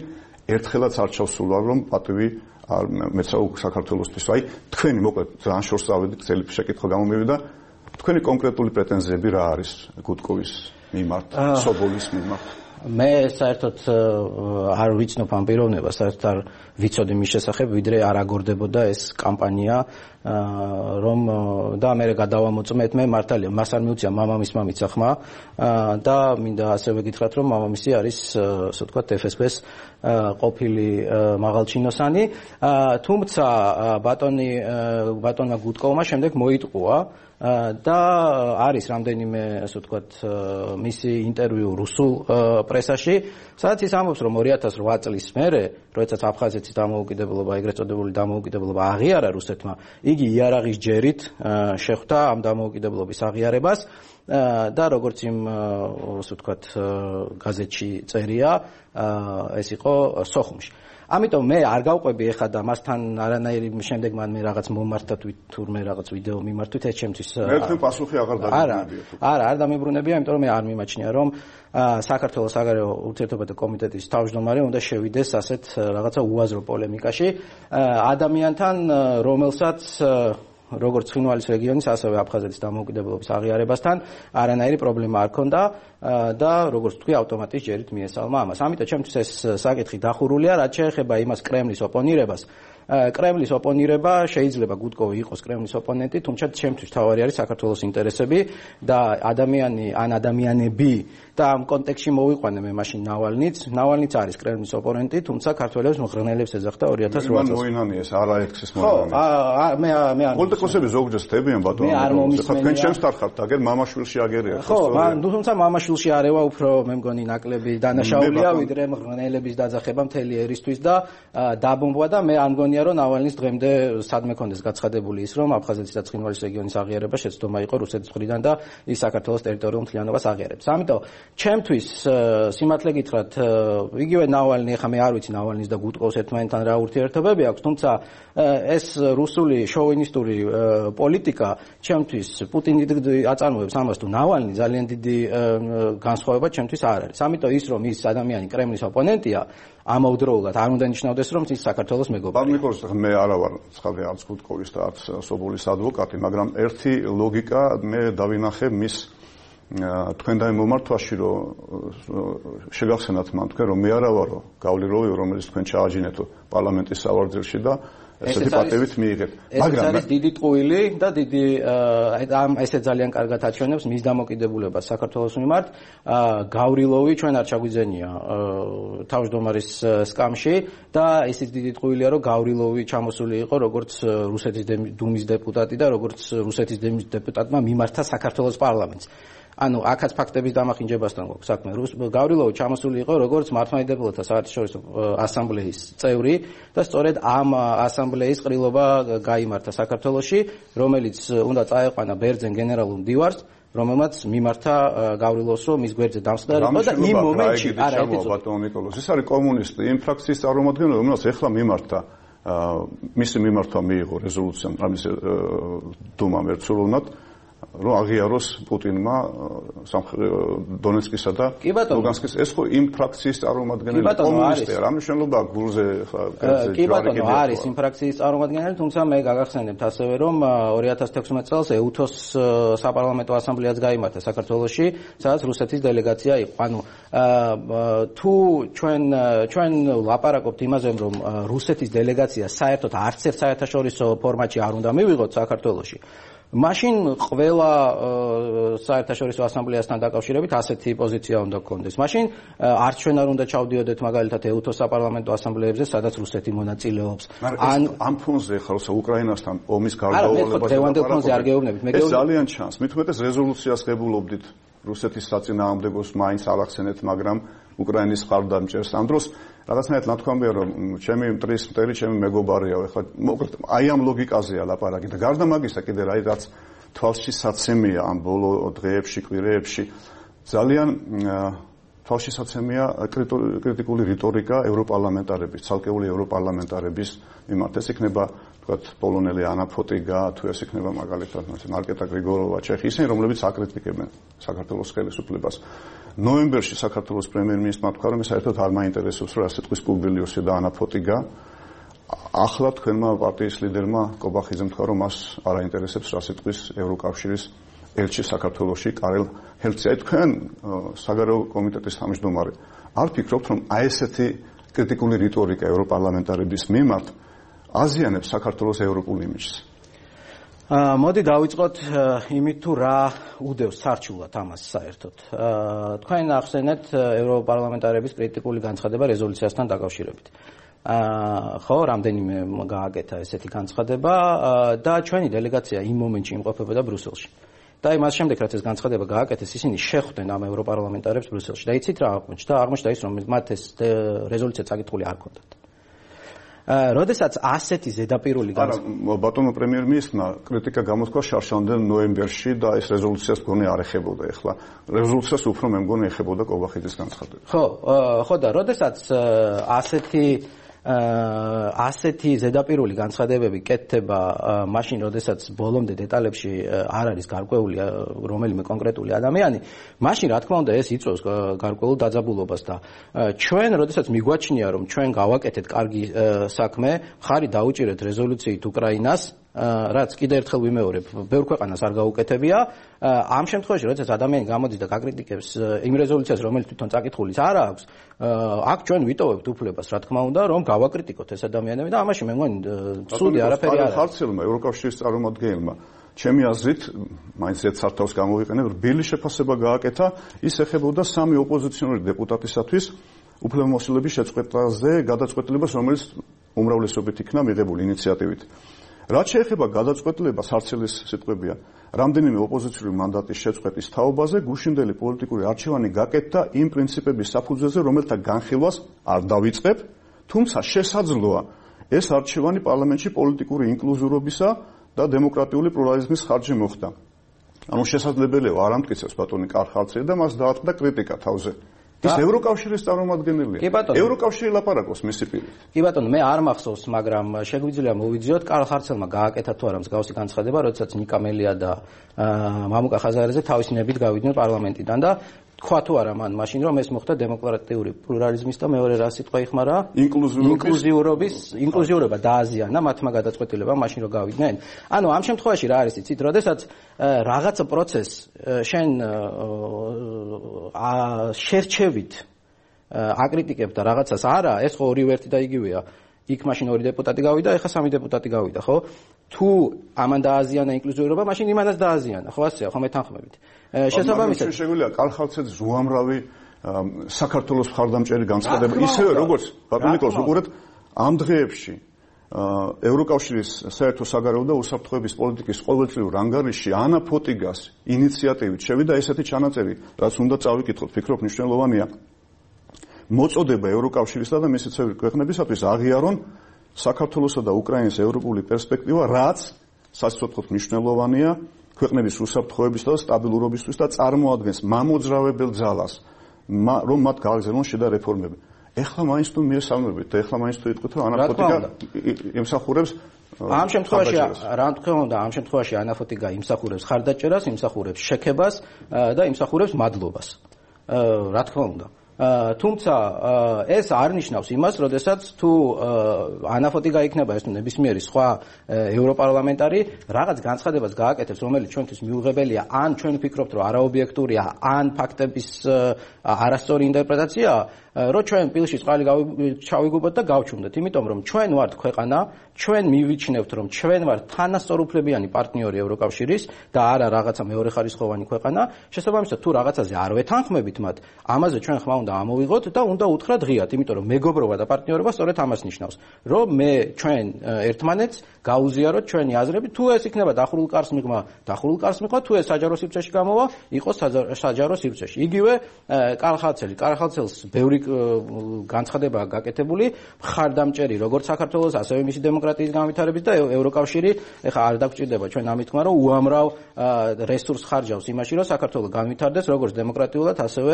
Speaker 5: ერთხელაც არ ჩავსულა რომ პატივი არ მეცაუ საქართველოსთვის. აი თქვენი მოკლედ ძალიან შორს ავედი, წელი შეკითხვა გამომივიდა, თქვენი კონკრეტული პრეტენზიები რა არის გუდკოვის მიმართ, სობოლის მიმართ?
Speaker 6: მე საერთოდ არ ვიცნობ ამ პიროვნებას, საერთოდ არ ვიცოდი მის შესახებ, ვიდრე არ აგორდებოდა ეს კამპანია, რომ და მე გადავამოწმეთ, მე მართალია მას არ მიუწია მამამის მამიცა ხმა და მინდა ასევე გითხრათ, რომ მამამისი არის, ასე ვთქვათ, ეფ ეს ბე-ს ყოფილი მაღალჩინოსანი, თუმცა ბატონი ბატონმა გუდკოვმა შემდეგ მოიტყუა და არის რამდენიმე, ასე ვთქვათ, მისი ინტერვიუ რუსულ პრესაში, სადაც ის ამბობს, რომ ორი ათას ოთხ წლის მერე, როდესაც აფხაზეთის დამოუკიდებლობა, ეგრეთ წოდებული დამოუკიდებლობა აღიარა რუსეთმა, იგი იარაღის ჯერით შეხვდა ამ დამოუკიდებლობის აღიარებას და როგორც იმ, ასე ვთქვათ, გაზეთში წერია, ეს იყო სოხუმში. ამიტომ მე არ გავყვები ეხლა და მასთან არანაირი შემდეგ მან მე რაღაც მომართა თურმე რაღაც ვიდეო მიმართვით ეს ჩემთვის
Speaker 5: მე თქვენ პასუხი აღარ დამიბრუნებია თუ
Speaker 6: არა არ დამიბრუნებია იმიტომ რომ მე არ მიმაჩნია რომ საქართველოს საგარეო ურთიერთობათა კომიტეტის თავმჯდომარე უნდა შევიდეს ასეთ რაღაცა უაზრო პოლემიკაში ადამიანთან რომელსაც როგორც ცხინვალის რეგიონის, ასევე აფხაზეთის დამოუკიდებლობის აღიარებასთან არანაირი პრობლემა არ ქონდა და როგორც თქვი, ავტომატის ჯერით მიესალმა ამას. ამიტომ ჩემთვის ეს საკითხი დახურულია, რაც შეეხება იმას კრემლის ოპონირებას. კრემლის ოპონირება შეიძლება გუდკოვი იყოს კრემლის ოპონენტი, თუმცა ჩემთვის თავარი არის საქართველოს ინტერესები და ადამიანი ან ადამიანები და ამ კონტექსტში მოვიყვანე მე მაშინ ნავალნიც. ნავალნიც არის კრემლის ოპონენტი, თუმცა ქართველებს მღრღნელებს ეძახდა ორი ათას ოთხ წელს.
Speaker 5: მან მოინანია ეს არა ექსის მოინანია.
Speaker 6: ხო, მე მე არ
Speaker 5: პოლიტიკოსები ზოგჯერ ხდებიან ბატონო.
Speaker 6: ხა
Speaker 5: თქვენ ჩემს დარხავთ, აგერ მამაშვილში აგერია.
Speaker 6: ხო, მან თუმცა მამაშვილში არევა უფრო მე მგონი ნაკლები დანაშაულია, ვიდრე მღრღნელების დაძახება მთელი ერისთვის და დაბომბვა და მე არ მგონია რომ ნავალნის დღემდე სადმე კონდეს გაცხადებული ის რომ აფხაზეთის და ცხინვალის რეგიონის აღიარება შეცდომა იყო რუსეთის მხრიდან და ის საქართველოს ტერიტორიულ მთლიანობას აღიარებს. ამიტომ ჩემთვის სიმართლე გითხრათ, იგივე ნავალნი, ეხლა მე არ ვიცი ნავალნის და გუდკოვს ერთმანეთთან რა ურთიერთობები აქვს, თუმცა ეს რუსული შოვინისტური პოლიტიკა ჩემთვის პუტინი აწარმოებს ამას თუ ნავალნი ძალიან დიდი განსხვავება ჩემთვის არ არის. ამიტომ ის რომ ის ადამიანი კრემლის ოპონენტია, ამავდროულად არ უნდა ნიშნავდეს რომ ის საქართველოს მეგობარია.
Speaker 5: პარლამენტის მე არა ვარ ცხადე არც გუდკოვის და არც სობოლის ადვოკატი, მაგრამ ერთი ლოგიკა მე დავინახე მის თქვენთან მომართვაში, რომ შეგახსენათ მან თქვენ რომ მე არა ვარო გავლიროვი, რომელიც თქვენ ჩააჯინეთო პარლამენტის სავარძელში და ესეთი პატივით მიიღეთ.
Speaker 6: მაგრამ ეს არის დიდი ტყუილი და დიდი ამ ესე ძალიან კარგად აჩვენებს მის დამოკიდებულებას საქართველოს მიმართ. გავრილოვი ჩვენ არ ჩაგვიძენია თავმჯდომარის სკამში და ისიც დიდი ტყუილია რომ გავრილოვი ჩამოსული იყო როგორც რუსეთის დუმის დეპუტატი და როგორც რუსეთის დუმის დეპუტატმა მიმართა საქართველოს პარლამენტს. ანუ აქაც ფაქტების დამახინჯებასთან გვაქვს საქმე. გავრილოვი ჩამოსული იყო როგორც მართლმადიდებლთა საერთაშორისო ასამბლეის წევრი და სწორედ ამ ასამბლეის ყრილობა გაიმართა საქართველოში, რომელიც უნდა წაეყვანა ბერძენ გენერალურ მდივარს, რომელმაც მიმართა გავრილოვს, რომ მის გვერდზე დამსხმარებოდა და იმ მომენტში არა ეთიცო
Speaker 5: ბატონო ნიკოლოზ, ეს არის კომუნისტი, იმ ფრაქციის წარმომადგენელი, რომელიც ეხლა მიმართა მისი მიმართვა მიიღო რეზოლუცია ამის დუმამ ერთსულოვნად რომ აღიაროს პუტინმა დონეცკისა და ლუგანსკის ეს ხო იმ ფრაქციის წარმომადგენელი კომუნისტია რა მნიშვნელობა გულზე ხა
Speaker 6: კი ბატონო არის იმ ფრაქციის წარმომადგენელი თუმცა მე გაგახსენებთ ასევე რომ ორი ათას თექვსმეტ წელს ეუთოს საპარლამენტო ასამბლეაც გაიმართა საქართველოში სადაც რუსეთის დელეგაცია იყო ანუ თუ ჩვენ ჩვენ ლაპარაკობთ იმაზე რომ რუსეთის დელეგაცია საერთოდ არც ერთ საერთაშორისო ფორმატში არ უნდა მივიღოთ საქართველოში მაშინ ყველა საერთაშორისო ასამბლეასთან დაკავშირებით ასეთი პოზიცია უნდა გქონდეს. მაშინ არც ჩვენ არ უნდა ჩავდიოდეთ მაგალითად ეუთოს საპარლამენტო ასამბლეებზე, სადაც რუსეთი მონაწილეობს.
Speaker 5: ან ამ ფონზე ხალხს უკრაინასთან ომის გარდაუვალებას
Speaker 6: ეს
Speaker 5: ძალიან ჩანს. მით უმეტეს რეზოლუციას ღებულობდით რუსეთის საწინააღმდეგოს მაინც არ ახსენეთ, მაგრამ უკრაინის მხარდამჭერს ამ დროს რაღაცნაირად ნათქვამია რომ ჩემი მტრის მტერი ჩემი მეგობარია ეხლა მოკლედ აი ამ ლოგიკაზეა ლაპარაკი და გარდა მაგისა კიდე რა რაც თვალში საცემია ამ ბოლო დღეებში კვირეებში ძალიან თვალში საცემია კრიტიკული რიტორიკა ევროპარლამენტარების ცალკეული ევროპარლამენტარების მიმართ ეს იქნება თქვათ პოლონელი ანა ფოტიგა თუ ეს იქნება მაგალითად მარკეტა გრიგოროვა ჩეხი ისინი რომლებიც აკრიტიკებენ საქართველოს ხელისუფლებას ნოემბერში საქართველოს პრემიერ-მინისტრმა თქვა რომ საერთოდ არ მაინტერესებს რა სიტყვის პუბლიოსი და ანა ფოტიგა ახლა თქვენმა პარტიის ლიდერმა კობახიძემ თქვა რომ მას არ აინტერესებს რა სიტყვის ევროკავშირის ელჩი საქართველოში კარელ ჰელცია. თქვენ საგარეო კომიტეტის თავმჯდომარე არ ფიქრობთ, რომ აი ესეთი კრიტიკული რიტორიკა ევროპარლამენტარების მიმართ აზიანებს საქართველოს ევროპულ იმიჯს?
Speaker 6: მოდი დავიწყოთ იმით, თუ რა უდევს სარჩულად ამას საერთოდ. თქვენ ახსენეთ ევროპარლამენტარების კრიტიკული განცხადება რეზოლუციასთან დაკავშირებით. ხო, რამდენიმე გააკეთა ესეთი განცხადება და ჩვენი დელეგაცია იმ მომენტში იმყოფებოდა ბრუსელში. და იმას შემდეგ, რაც ეს განცხადება გააკეთეს, ისინი შეხვდნენ ამ ევროპარლამენტარებს ბრუსელში. და იცით რა აღმოჩნდა? აღმოჩნდა ის, რომ მათ ეს რეზოლუცია წაკითხული არ ჰქონდათ. როდესაც ასეთი ზედაპირული
Speaker 5: განცხადება ბატონო პრემიერ-მინისტრმა კრიტიკა გამოთქვა შარშანდელ ნოემბერში და ეს რეზოლუციას მგონი არ ეხებოდა. ეხლა რეზოლუციას უფრო მე მგონი ეხებოდა კობახიძის განცხადება.
Speaker 6: ხო, ხო და როდესაც ასეთი ასეთი ზედაპირული განცხადებები კეთდება მაშინ, როდესაც ბოლომდე დეტალებში არ არის გარკვეული რომელიმე კონკრეტული ადამიანი, მაშინ რა თქმა უნდა ეს იწვევს გარკვეულ დაძაბულობას და ჩვენ, როდესაც მიგვაჩნია, რომ ჩვენ გავაკეთეთ კარგი საქმე, ხარი დაუჭირეთ რეზოლუციით უკრაინას, რაც კიდევ ერთხელ ვიმეორებ, ბევრ ქვეყანას არ გაუკეთებია. ამ შემთხვევაში, როდესაც ადამიანი გამოდის და გაკრიტიკებს იმ რეზოლუციას, რომელიც თვითონ წაკითხulis არ აქვს, აქ ჩვენ ვიტოვებთ უფლებას, რა თქმა უნდა, რომ გავაკრიტიკოთ ეს ადამიანები და ამაში მე მგონი ცუდი არაფერი არ არის.
Speaker 5: ხარცელმა ევროკავშირის წარმომადგენელმა ჩემი აზრით, მაინც ერთ სართავს გამოვიყენებ, რბილი შეფასება გააკეთა, ის ეხებოდა სამი ოპოზიციონერი დეპუტატისათვის უფლებამოსილების შეწყვეტაზე გადაწყვეტილებას, რომელიც უმრავლესობით იქნა მიღებული ინიციატივით. რაც შეეხება გადაწყვეტილებას, არცელის სიტყვებია, რამდენიმე ოპოზიციური მანდატის შეწყვეტის თაობაზე გუშინდელი პოლიტიკური არჩევანი გაკეთდა იმ პრინციპების საფუძველზე, რომელთა განხილვას არ დავიწყებ, თუმცა შესაძლოა ეს არჩევანი პარლამენტში პოლიტიკური ინკლუზიურობისა და დემოკრატიული პლურალიზმის ხარჯზე მოხდა. ანუ შესაძლებელია არ ამტკიცებს ბატონი კარხალცელი და მას დაატყდა კრიტიკა თავზე. ის ევროკავშირის წარმომადგენელია. ევროკავშირი ლაპარაკობს მისი პირით.
Speaker 6: კი ბატონო, მე არ მახსოვს, მაგრამ შეგვიძლია მოვიძიოთ კარლ ხარცელმა გააკეთა თუ არა მსგავსი განცხადება, როდესაც ნიკა მელია და მამუკა ხაზარეზე თავისი ნებით გავიდნენ პარლამენტიდან და თქვა თუ არა მან მაშინ, რომ ეს მოხდა დემოკრატიული პლურალიზმის და მეორე რა სიტყვა იხმარა? ინკლუზიურობის, ინკლუზიურობა დააზიანა მათმა გადაწყვეტილებამ მაშინ რომ გავიდნენ. ანუ ამ შემთხვევაში რა არის იცით, როდესაც რაღაცა პროცესს შენ შერჩევით აკრიტიკებ და რაღაცას არა, ეს ხო ორივე ერთი და იგივეა. იქ მაშინ ორი დეპუტატი გავიდა, ეხლა სამი დეპუტატი გავიდა, ხო? თუ ამან დააზიანა ინკლუზიურობა, მაშინ იმანაც დააზიანა, ხო ასეა, ხო მეთანხმებით. შესაბამისად,
Speaker 5: შეგვიძლია კარლ ხარცელის უამრავი საქართველოს მხარდამჭერი განცხადება, ისევე როგორც ბატონ ნიკოლოზ უყურეთ, ამ დღეებში ევროკავშირის საერთო საგარეო და უსაფრთხოების პოლიტიკის ყოველწლიურ ანგარიშში ანა ფოტიგას ინიციატივით შევიდა ესეთი ჩანაწერი, რაც უნდა წავიკითხოთ, ფიქრობ მნიშვნელოვანია. მოწოდება ევროკავშირისა და მისი წევრი ქვეყნებისათვის აღიარონ საქართველოსა და უკრაინის ევროპული პერსპექტივა, რაც სასიცოცხლოდ მნიშვნელოვანია ქვეყნების უსაფრთხოებისა და სტაბილურობისთვის და წარმოადგენს მამოძრავებელ ძალას, რომ მათ გააგრძელონ შიდა რეფორმები. ეხლა მაინც თუ მიესალმებით და ეხლა მაინც თუ იტყვით, რომ ანაფოტიკა იმსახურებს
Speaker 6: ამ შემთხვევაში რა თქმა უნდა, ამ შემთხვევაში ანაფოტიკა იმსახურებს ხარდაჭერას, იმსახურებს შექებას და იმსახურებს მადლობას. რა თქმა უნდა. თუმცა ეს არ ნიშნავს იმას, როდესაც თუ ანაფოტიკა იქნება ეს ნებისმიერი სხვა ევროპარლამენტარი რაღაც განცხადებას გააკეთებს, რომელიც ჩვენთვის მიუღებელია, ან ჩვენ ვფიქრობთ, რომ არაობიექტურია, ან ფაქტების არასწორი ინტერპრეტაციაა, რომ ჩვენ პილში წყალი ჩავიგუბოთ და გავჩუმდეთ, იმიტომ რომ ჩვენ ვართ ქვეყანა, ჩვენ მივიჩნევთ, რომ ჩვენ ვართ თანასწორუფლებიანი პარტნიორი ევროკავშირის და არა რაღაცა მეორეხარისხოვანი ქვეყანა. შესაბამისად, თუ რაღაცაზე არ ვეთანხმებით მათ, ამაზე ჩვენ ხმა უნდა ამოვიღოთ და უნდა უთხრათ ღიად, იმიტომ რომ მეგობრობა და პარტნიორობა სწორედ ამას ნიშნავს, რომ მე ჩვენ ერთმანეთს გაუზიაროთ ჩვენი აზრები, თუ ეს იქნება დახურულ კარს მიღმა, დახურულ კარს მიღმა, თუ ეს საჯარო სივრცეში გამოვა, იყოს საჯარო სივრცეში. იგივე კარლ ხარცელი, კარლ ხარცელს ბევრი განცხადება გაკეთებული, მხარდამჭერი როგორც საქართველოს, ასევე მისი დემოკრატიის განვითარების და ევროკავშირი, ეხლა არ დაგჭირდება ჩვენ ამით თქმა, რომ უამრავ რესურსს ხარჯავს იმაში, რომ საქართველო განვითარდეს როგორც დემოკრატიულად, ასევე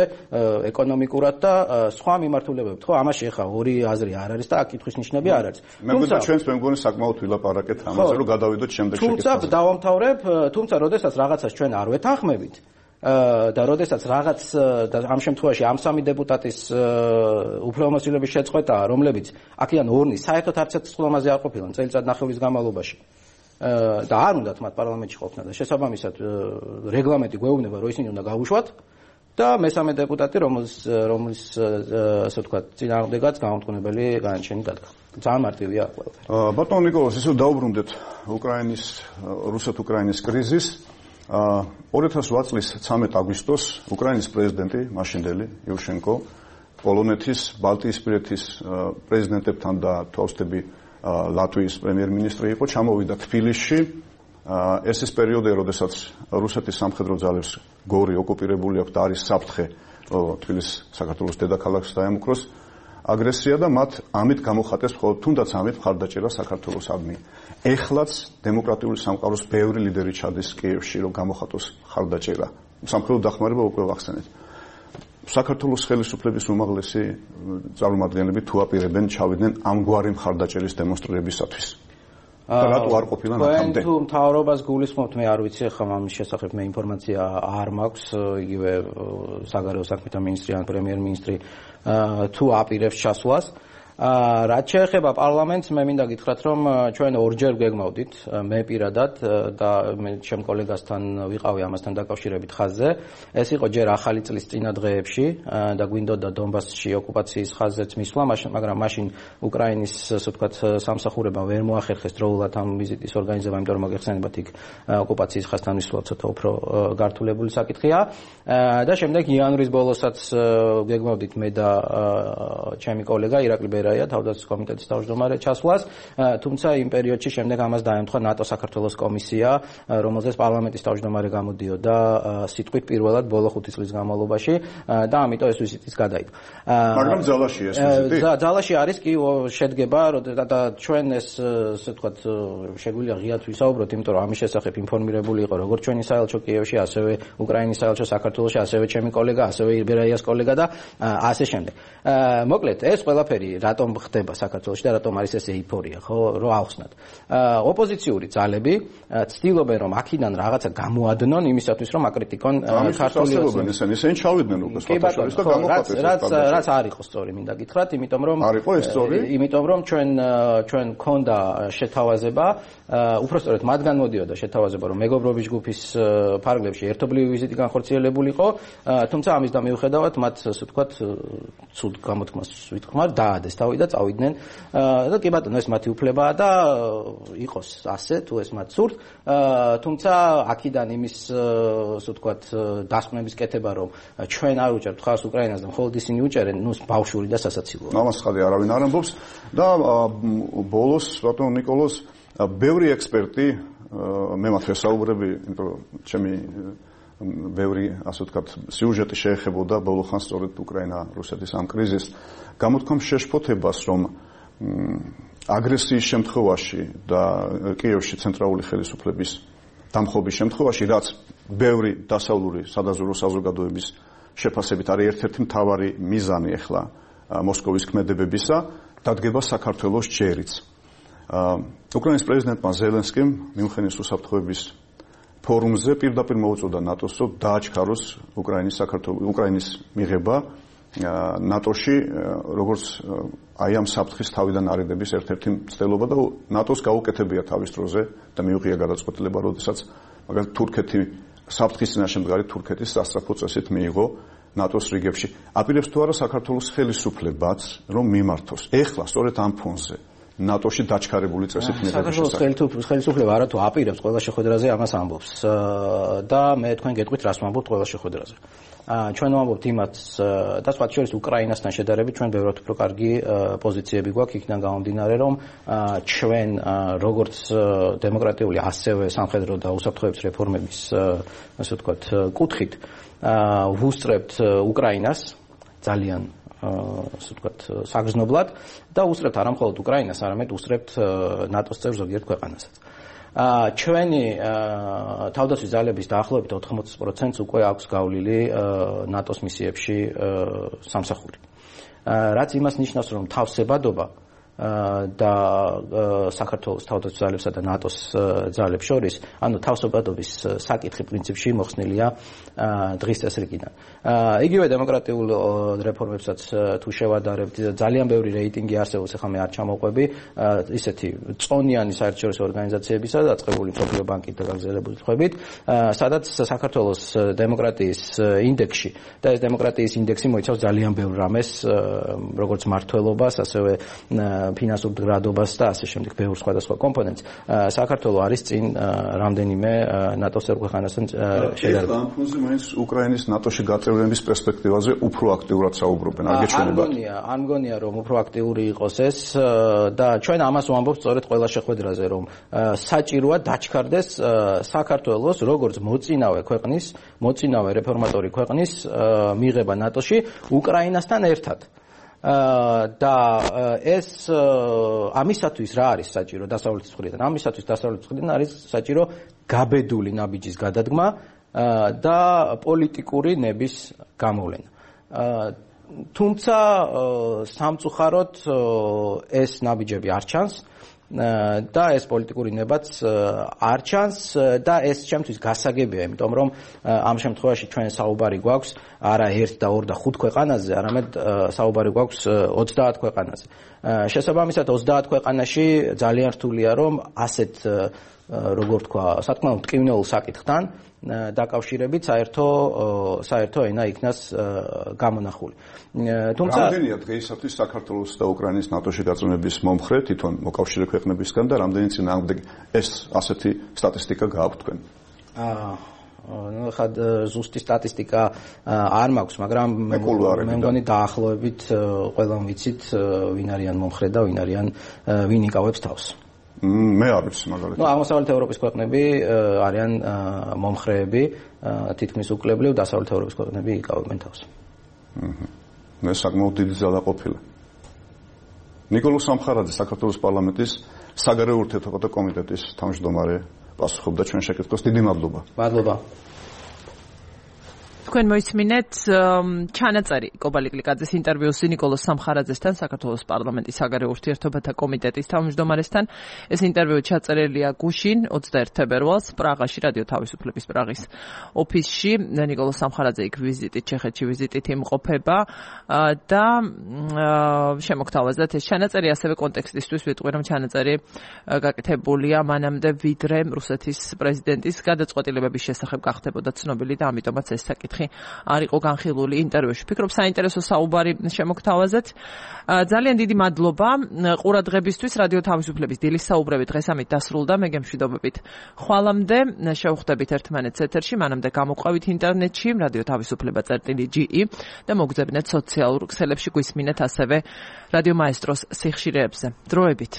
Speaker 6: ეკონომიკურად და სხვა მიმართულებებით. ხო, ამაში ეხლა ორი აზრი არ არის და აქ კითხვის ნიშნები არ არის.
Speaker 5: მე მგონი ჩვენს მე მგონი საკმაოდ ვილაპარაკეთ ამაზე, რომ გადავიდოთ შემდეგ
Speaker 6: შეკითხვაზე. თუმცა დავამთავრებ, თუმცა როდესაც რაღაცას ჩვენ არ ვეთანხმებით და როდესაც რაღაც და ამ შემთხვევაში ამ სამი დეპუტატის უფლებამოსილების შეწყვეტა, რომლებიც აქედან ორნი საერთოდ არც ერთ სხდომაზე არ ყოფილან წელიწად ნახევრის განმავლობაში. და არ უნდათ მათ პარლამენტში ყოფნა და შესაბამისად რეგლამენტი გვეუბნება რომ ისინი უნდა გავუშვათ და მესამე დეპუტატი რომელის რომლის ასე ვთქვათ წინააღმდეგაც გამომტყუნებელი განაჩენი დადგა. ძალიან მარტივია ყველაფერი.
Speaker 5: ბატონ ნიკოლოზ, ისე დაუბრუნდეთ უკრაინის რუსეთ-უკრაინის კრიზისს. ორი ათას ოთხ წლის ცამეტ აგვისტოს უკრაინის პრეზიდენტი მაშინდელი იუშენკო პოლონეთის, ბალტიისპირეთის პრეზიდენტებთან და თვალსწრები ლატვიის პრემიერ-მინისტრი იყო, ჩამოვიდა თბილისში. ეს ის პერიოდია, როდესაც რუსეთის სამხედრო ძალებს გორი ოკუპირებული აქვს და არის საფრთხე თბილისის საქართველოს დედაქალაქს დაემუქროს აგრესია და მათ ამით გამოხატეს მხოლოდ თუნდაც ამით მხარდაჭერა საქართველოსადმი. ეხლაც დემოკრატიული სამყაროს ბევრი ლიდერი ჩადის კიევში, რომ გამოხატოს მხარდაჭერა. სამხედრო დახმარება უკვე ვახსენეთ. საქართველოს ხელისუფლების უმაღლესი წარმომადგენლები თუ აპირებენ ჩავიდნენ ამგვარი მხარდაჭერის დემონსტრირებისათვის. და რატო არ ყოფილა ნახამდე?
Speaker 6: თუ მთავრობას გულისხმობთ, მე არ ვიცი, ხომ ამის შესახებ მე ინფორმაცია არ მაქვს, იგივე საგარეო საქმეთა მინისტრი ან პრემიერ-მინისტრი თუ აპირებს ჩასვლას. რაც შეეხება პარლამენტს, მე მინდა გითხრათ, რომ ჩვენ ორჯერ გეგმავდით, მე პირადად და მე ჩემ კოლეგასთან ვიყავი ამასთან დაკავშირებით ხაზზე. ეს იყო ჯერ ახალი წლის წინა დღეებში და გვინდოდა დონბასში ოკუპაციის ხაზზეც მისვლა, მაგრამ მაშინ უკრაინის, ასე ვთქვათ, სამსახურებამ ვერ მოახერხეს დროულად ამ ვიზიტის ორგანიზება, იმიტომ რომ მოგეხსენებათ, იქ ოკუპაციის ხაზთან მისვლა ცოტა უფრო გართულებული საკითხია. და შემდეგ იანვრის ბოლოსაც გეგმავდით მე და ჩემი კოლეგა ირაკლი რაია თავდაცვის კომიტეტის თავმჯდომარე ჩასვლას, თუმცა იმ პერიოდში შემდეგ ამას დაემთხვა ნატო საქართველოს კომისია, რომელზეც პარლამენტის თავმჯდომარე გამოდიოდა სიტყვით პირველად ბოლო ხუთი წლის განმავლობაში და ამიტომ ეს ვიზიტიც გადაიდო.
Speaker 5: მაგრამ ძალაში ეს ვიზიტი?
Speaker 6: ძალაში არის კი შედგება და ჩვენ ეს ასე ვთქვათ შეგვიძლია ღიად ვისაუბროთ, იმიტომ რომ ამის შესახებ ინფორმირებული იყო როგორც ჩვენი საელჩო კიევში, ასევე უკრაინის საელჩო საქართველოში, ასევე ჩემი კოლეგა, ასევე ირბერაიას კოლეგა და ასე შემდეგ. მოკლედ ეს ყველაფერი რატომ ხდება საქართველოში და რატომ არის ეს ეიფორია, ხო, რომ ავხსნათ. ოპოზიციური ძალები ცდილობენ რომ აქედან რაღაცა გამოადნონ იმისათვის რომ აკრიტიკონ ქართული
Speaker 5: ოპოზიცია. ისინი ჩავიდნენ უკვე სპარტაშორის და გამოხატეს.
Speaker 6: რაც რაც არ იყო სწორი, მინდა გითხრათ, იმიტომ რომ
Speaker 5: არ იყო ეს სწორი?
Speaker 6: იმიტომ რომ ჩვენ ჩვენ ქონდა შეთავაზება, უпростоრეთ მათგან მოდიოდა შეთავაზება, რომ მეგობრობის ჯგუფის ფარგლებში ერთობლივი ვიზიტი განხორციელებულიყო, თუმცა ამის და მიუხედავად მათ ასე ვთქვათ ცუდ გამოთქმას ვიტყმარ დაადეს თავი და წავიდნენ და კი ბატონო ეს მათი უფლებაა და იყოს ასე თუ ეს მათ სურთ, თუმცა აქედან იმის ასე ვთქვათ დასკვნების კეთება რომ ჩვენ არ უჭერთ ხარს უკრაინას და მხოლოდ ისინი უჭერენ, ნუ ბავშვური და სასაცილოა.
Speaker 5: ამას ხალხი არავინ არ ამბობს და ბოლოს ბატონო ნიკოლოზ ბევრი ექსპერტი მე მათ ვესაუბრები, იმიტომ რომ ჩემი ბევრი ასე ვთქვათ სიუჟეტი შეეხებოდა ბოლო ხანს სწორედ უკრაინა-რუსეთის ამ კრიზისს. გამოთქვამ შეშფოთებას, რომ აგრესიის შემთხვევაში და კიევში ცენტრალური ხელისუფლების დამხობის შემთხვევაში, რაც ბევრი დასავლური სადაზვერვო საზოგადოების შეფასებით არის ერთ-ერთი მთავარი მიზანი ახლა მოსკოვის ქმედებებისა, დადგება საქართველოს ჯერიც. უკრაინის პრეზიდენტმა ზელენსკიმ მიუნხენის უსაფრთხოების ფორუმზე პირდაპირ მოუწოდა ნატოს, რომ დააჩქაროს უკრაინის საქართველოს უკრაინის მიღება ნატოში, როგორც აი ამ საფრთხის თავიდან არიდების ერთ-ერთი მცდელობა და ნატოს გაუკეთებია თავის დროზე და მიუღია გადაწყვეტილება, როდესაც მაგალითად თურქეთი საფრთხის წინაშე მდგარი თურქეთის სასწრაფო წესით მიიღო ნატოს რიგებში. აპირებს თუ არა საქართველოს ხელისუფლებაც, რომ მიმართოს. ეხლა სწორედ ამ ფონზე ნატოში დაჩქარებული წესით მიღების შესახებ.
Speaker 6: საქართველოს ხელისუფლება არათუ აპირებს ყველა შეხვედრაზე ამას ამბობს და მე თქვენ გეტყვით რას ვამბობთ ყველა შეხვედრაზე. ჩვენ ვამბობთ იმას და სხვა შორის უკრაინასთან შედარებით ჩვენ ბევრად უფრო კარგი პოზიციები გვაქვს იქიდან გამომდინარე რომ ჩვენ როგორც დემოკრატიული ასევე სამხედრო და უსაფრთხოების რეფორმების ასე ვთქვათ კუთხით ვუსწრებთ უკრაინას ძალიან ასე ვთქვათ საგრძნობლად და უსწრებთ არა მხოლოდ უკრაინას, არამედ უსწრებთ ნატოს წევრ ზოგიერთ ქვეყანასაც. ჩვენი თავდაცვის ძალების დაახლოებით ოთხმოცი პროცენტს უკვე აქვს გავლილი ნატოს მისიებში სამსახური. რაც იმას ნიშნავს, რომ თავსებადობა და საქართველოს თავდაცვის ძალებსა და ნატოს ძალებს შორის, ანუ თავსებადობის საკითხი პრინციპში მოხსნილია დღის წესრიგიდან. იგივე დემოკრატიულ რეფორმებსაც თუ შევადარებთ, ძალიან ბევრი რეიტინგი არსებობს, ახლა მე არ ჩამოვყვები, ისეთი წონიანი საერთაშორისო ორგანიზაციებისა და დაწყებული მსოფლიო ბანკით და გაგრძელებული თხოვებით, სადაც საქართველოს დემოკრატიის ინდექსში და ეს დემოკრატიის ინდექსი მოიცავს ძალიან ბევრ რამეს, როგორც მართლობას, ასევე ფინანსურ მდგრადობას და ასე შემდეგ ბევრ სხვადასხვა კომპონენტს. საქართველო არის წინ რამდენიმე ნატოს ქვეყანასთან შედარებით.
Speaker 5: ამ ფონზე მაინც უკრაინის ნატოში გაწევრების პერსპექტივაზე უფრო აქტიურად საუბრობენ. არ გეჩვენება?
Speaker 6: არ მგონია, რომ უფრო აქტიური იყოს ეს და ჩვენ ამას ვამბობთ სწორედ ყველა შეხვედრაზე, რომ საჭიროა დაჩქარდეს საქართველოს როგორც მოწინავე ქვეყნის, მოწინავე რეფორმატორი ქვეყნის მიღება ნატოში უკრაინასთან ერთად. და ეს ამისათვის რა არის საჭირო დასავლეთის მხრიდან? ამისათვის დასავლეთის მხრიდან არის საჭირო გაბედული ნაბიჯის გადადგმა და პოლიტიკური ნების გამოვლენა. თუმცა სამწუხაროდ ეს ნაბიჯები არ ჩანს და ეს პოლიტიკური ნებაც არ ჩანს და ეს ჩემთვის გასაგებია, იმიტომ რომ ამ შემთხვევაში ჩვენ საუბარი გვაქვს არა ერთ და ორ და ხუთ ქვეყანაზე, არამედ საუბარი გვაქვს ოცდაათ ქვეყანაზე. შესაბამისად ოცდაათ ქვეყანაში ძალიან რთულია, რომ ასეთ როგორ თქვა, სათქმე მტკივნეულ საკითხთან დაკავშირებით საერთო საერთო ენა იქნას გამონახული.
Speaker 5: თუმცა რამდენია დღეისათვის საქართველოს და უკრაინის ნატოში გაწევრების მომხრე თვითონ მოკავშირე ქვეყნებისგან და რამდენი წინააღმდეგ ეს ასეთი სტატისტიკა გააქვთ თქვენ?
Speaker 6: აა ну ხად ზუსტი სტატისტიკა არ მაქვს, მაგრამ მე მგონი დაახლოებით ყველამ ვიცით ვინ არიან მომხრე და ვინ არიან ვინ იკავებს თავს.
Speaker 5: მე არ ვიცი მაგალითად.
Speaker 6: ну აღმოსავლეთ ევროპის ქვეყნები არიან მომხრეები, თითქმის უკლებლიო დასავლეთ ევროპის ქვეყნები იკავებენ თავს.
Speaker 5: აჰა. მე საკმაოდ დიდი ძალა ყოფილა. ნიკოლოზ სამხარაძე საქართველოს პარლამენტის საგარეო ურთიერთობათა კომიტეტის თავმჯდომარე პასუხობდა ჩვენ შეკითხვას. დიდი მადლობა.
Speaker 6: მადლობა.
Speaker 1: თქვენ მოისმინეთ ჩანაწერი კობალი კლიკაძის ინტერვიუსი ნიკოლოზ სამხარაძესთან, საქართველოს პარლამენტის საგარეო ურთიერთობათა კომიტეტის თავმჯდომარესთან. ეს ინტერვიუ ჩაწერილია გუშინ ოცდაერთი თებერვალს პრაღაში, რადიო თავისუფლების პრაღის ოფისში. ნიკოლოზ სამხარაძე იქ ვიზიტით, ჩეხეთში ვიზიტით იმყოფება და შემოგთავაზეთ ეს ჩანაწერი, ასევე კონტექსტისთვის ვიტყვი, რომ ჩანაწერი გაკეთებულია მანამდე, ვიდრე რუსეთის პრეზიდენტის გადაწყვეტილებების შესახებ გახდებოდა ცნობილი და ამიტომაც ეს საკითხი არ იყო განხილული ინტერვიუში. ფიქრობ საინტერესო საუბარი შემოგთავაზეთ. ძალიან დიდი მადლობა ყურადღებისთვის. რადიო თავისუფლების დილის საუბრები დღეს ამით დასრულდა. მე გემშვიდობებით ხვალამდე შევხვდებით ერთმანეთს ეთერში, მანამდე გამოყვებით ინტერნეტში რადიო თავისუფლება წერტილი ჯი ი და მოგძებნეთ სოციალურ ქსელებში, გვისმინეთ ასევე რადიო მაესტროს სიხშირეებზე. დროებით.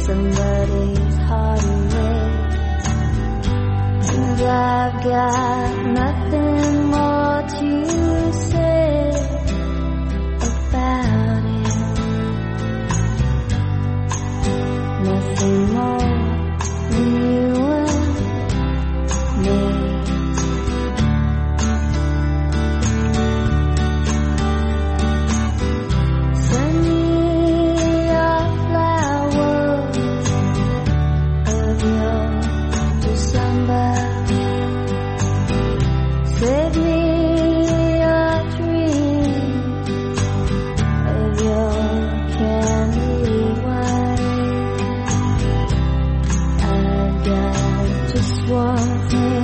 Speaker 7: somebody's heart away. And I've got nothing more to say about it. Nothing more than you and me. Send me your flowers of your December. Save me your dream of your candy wine. I've got just one thing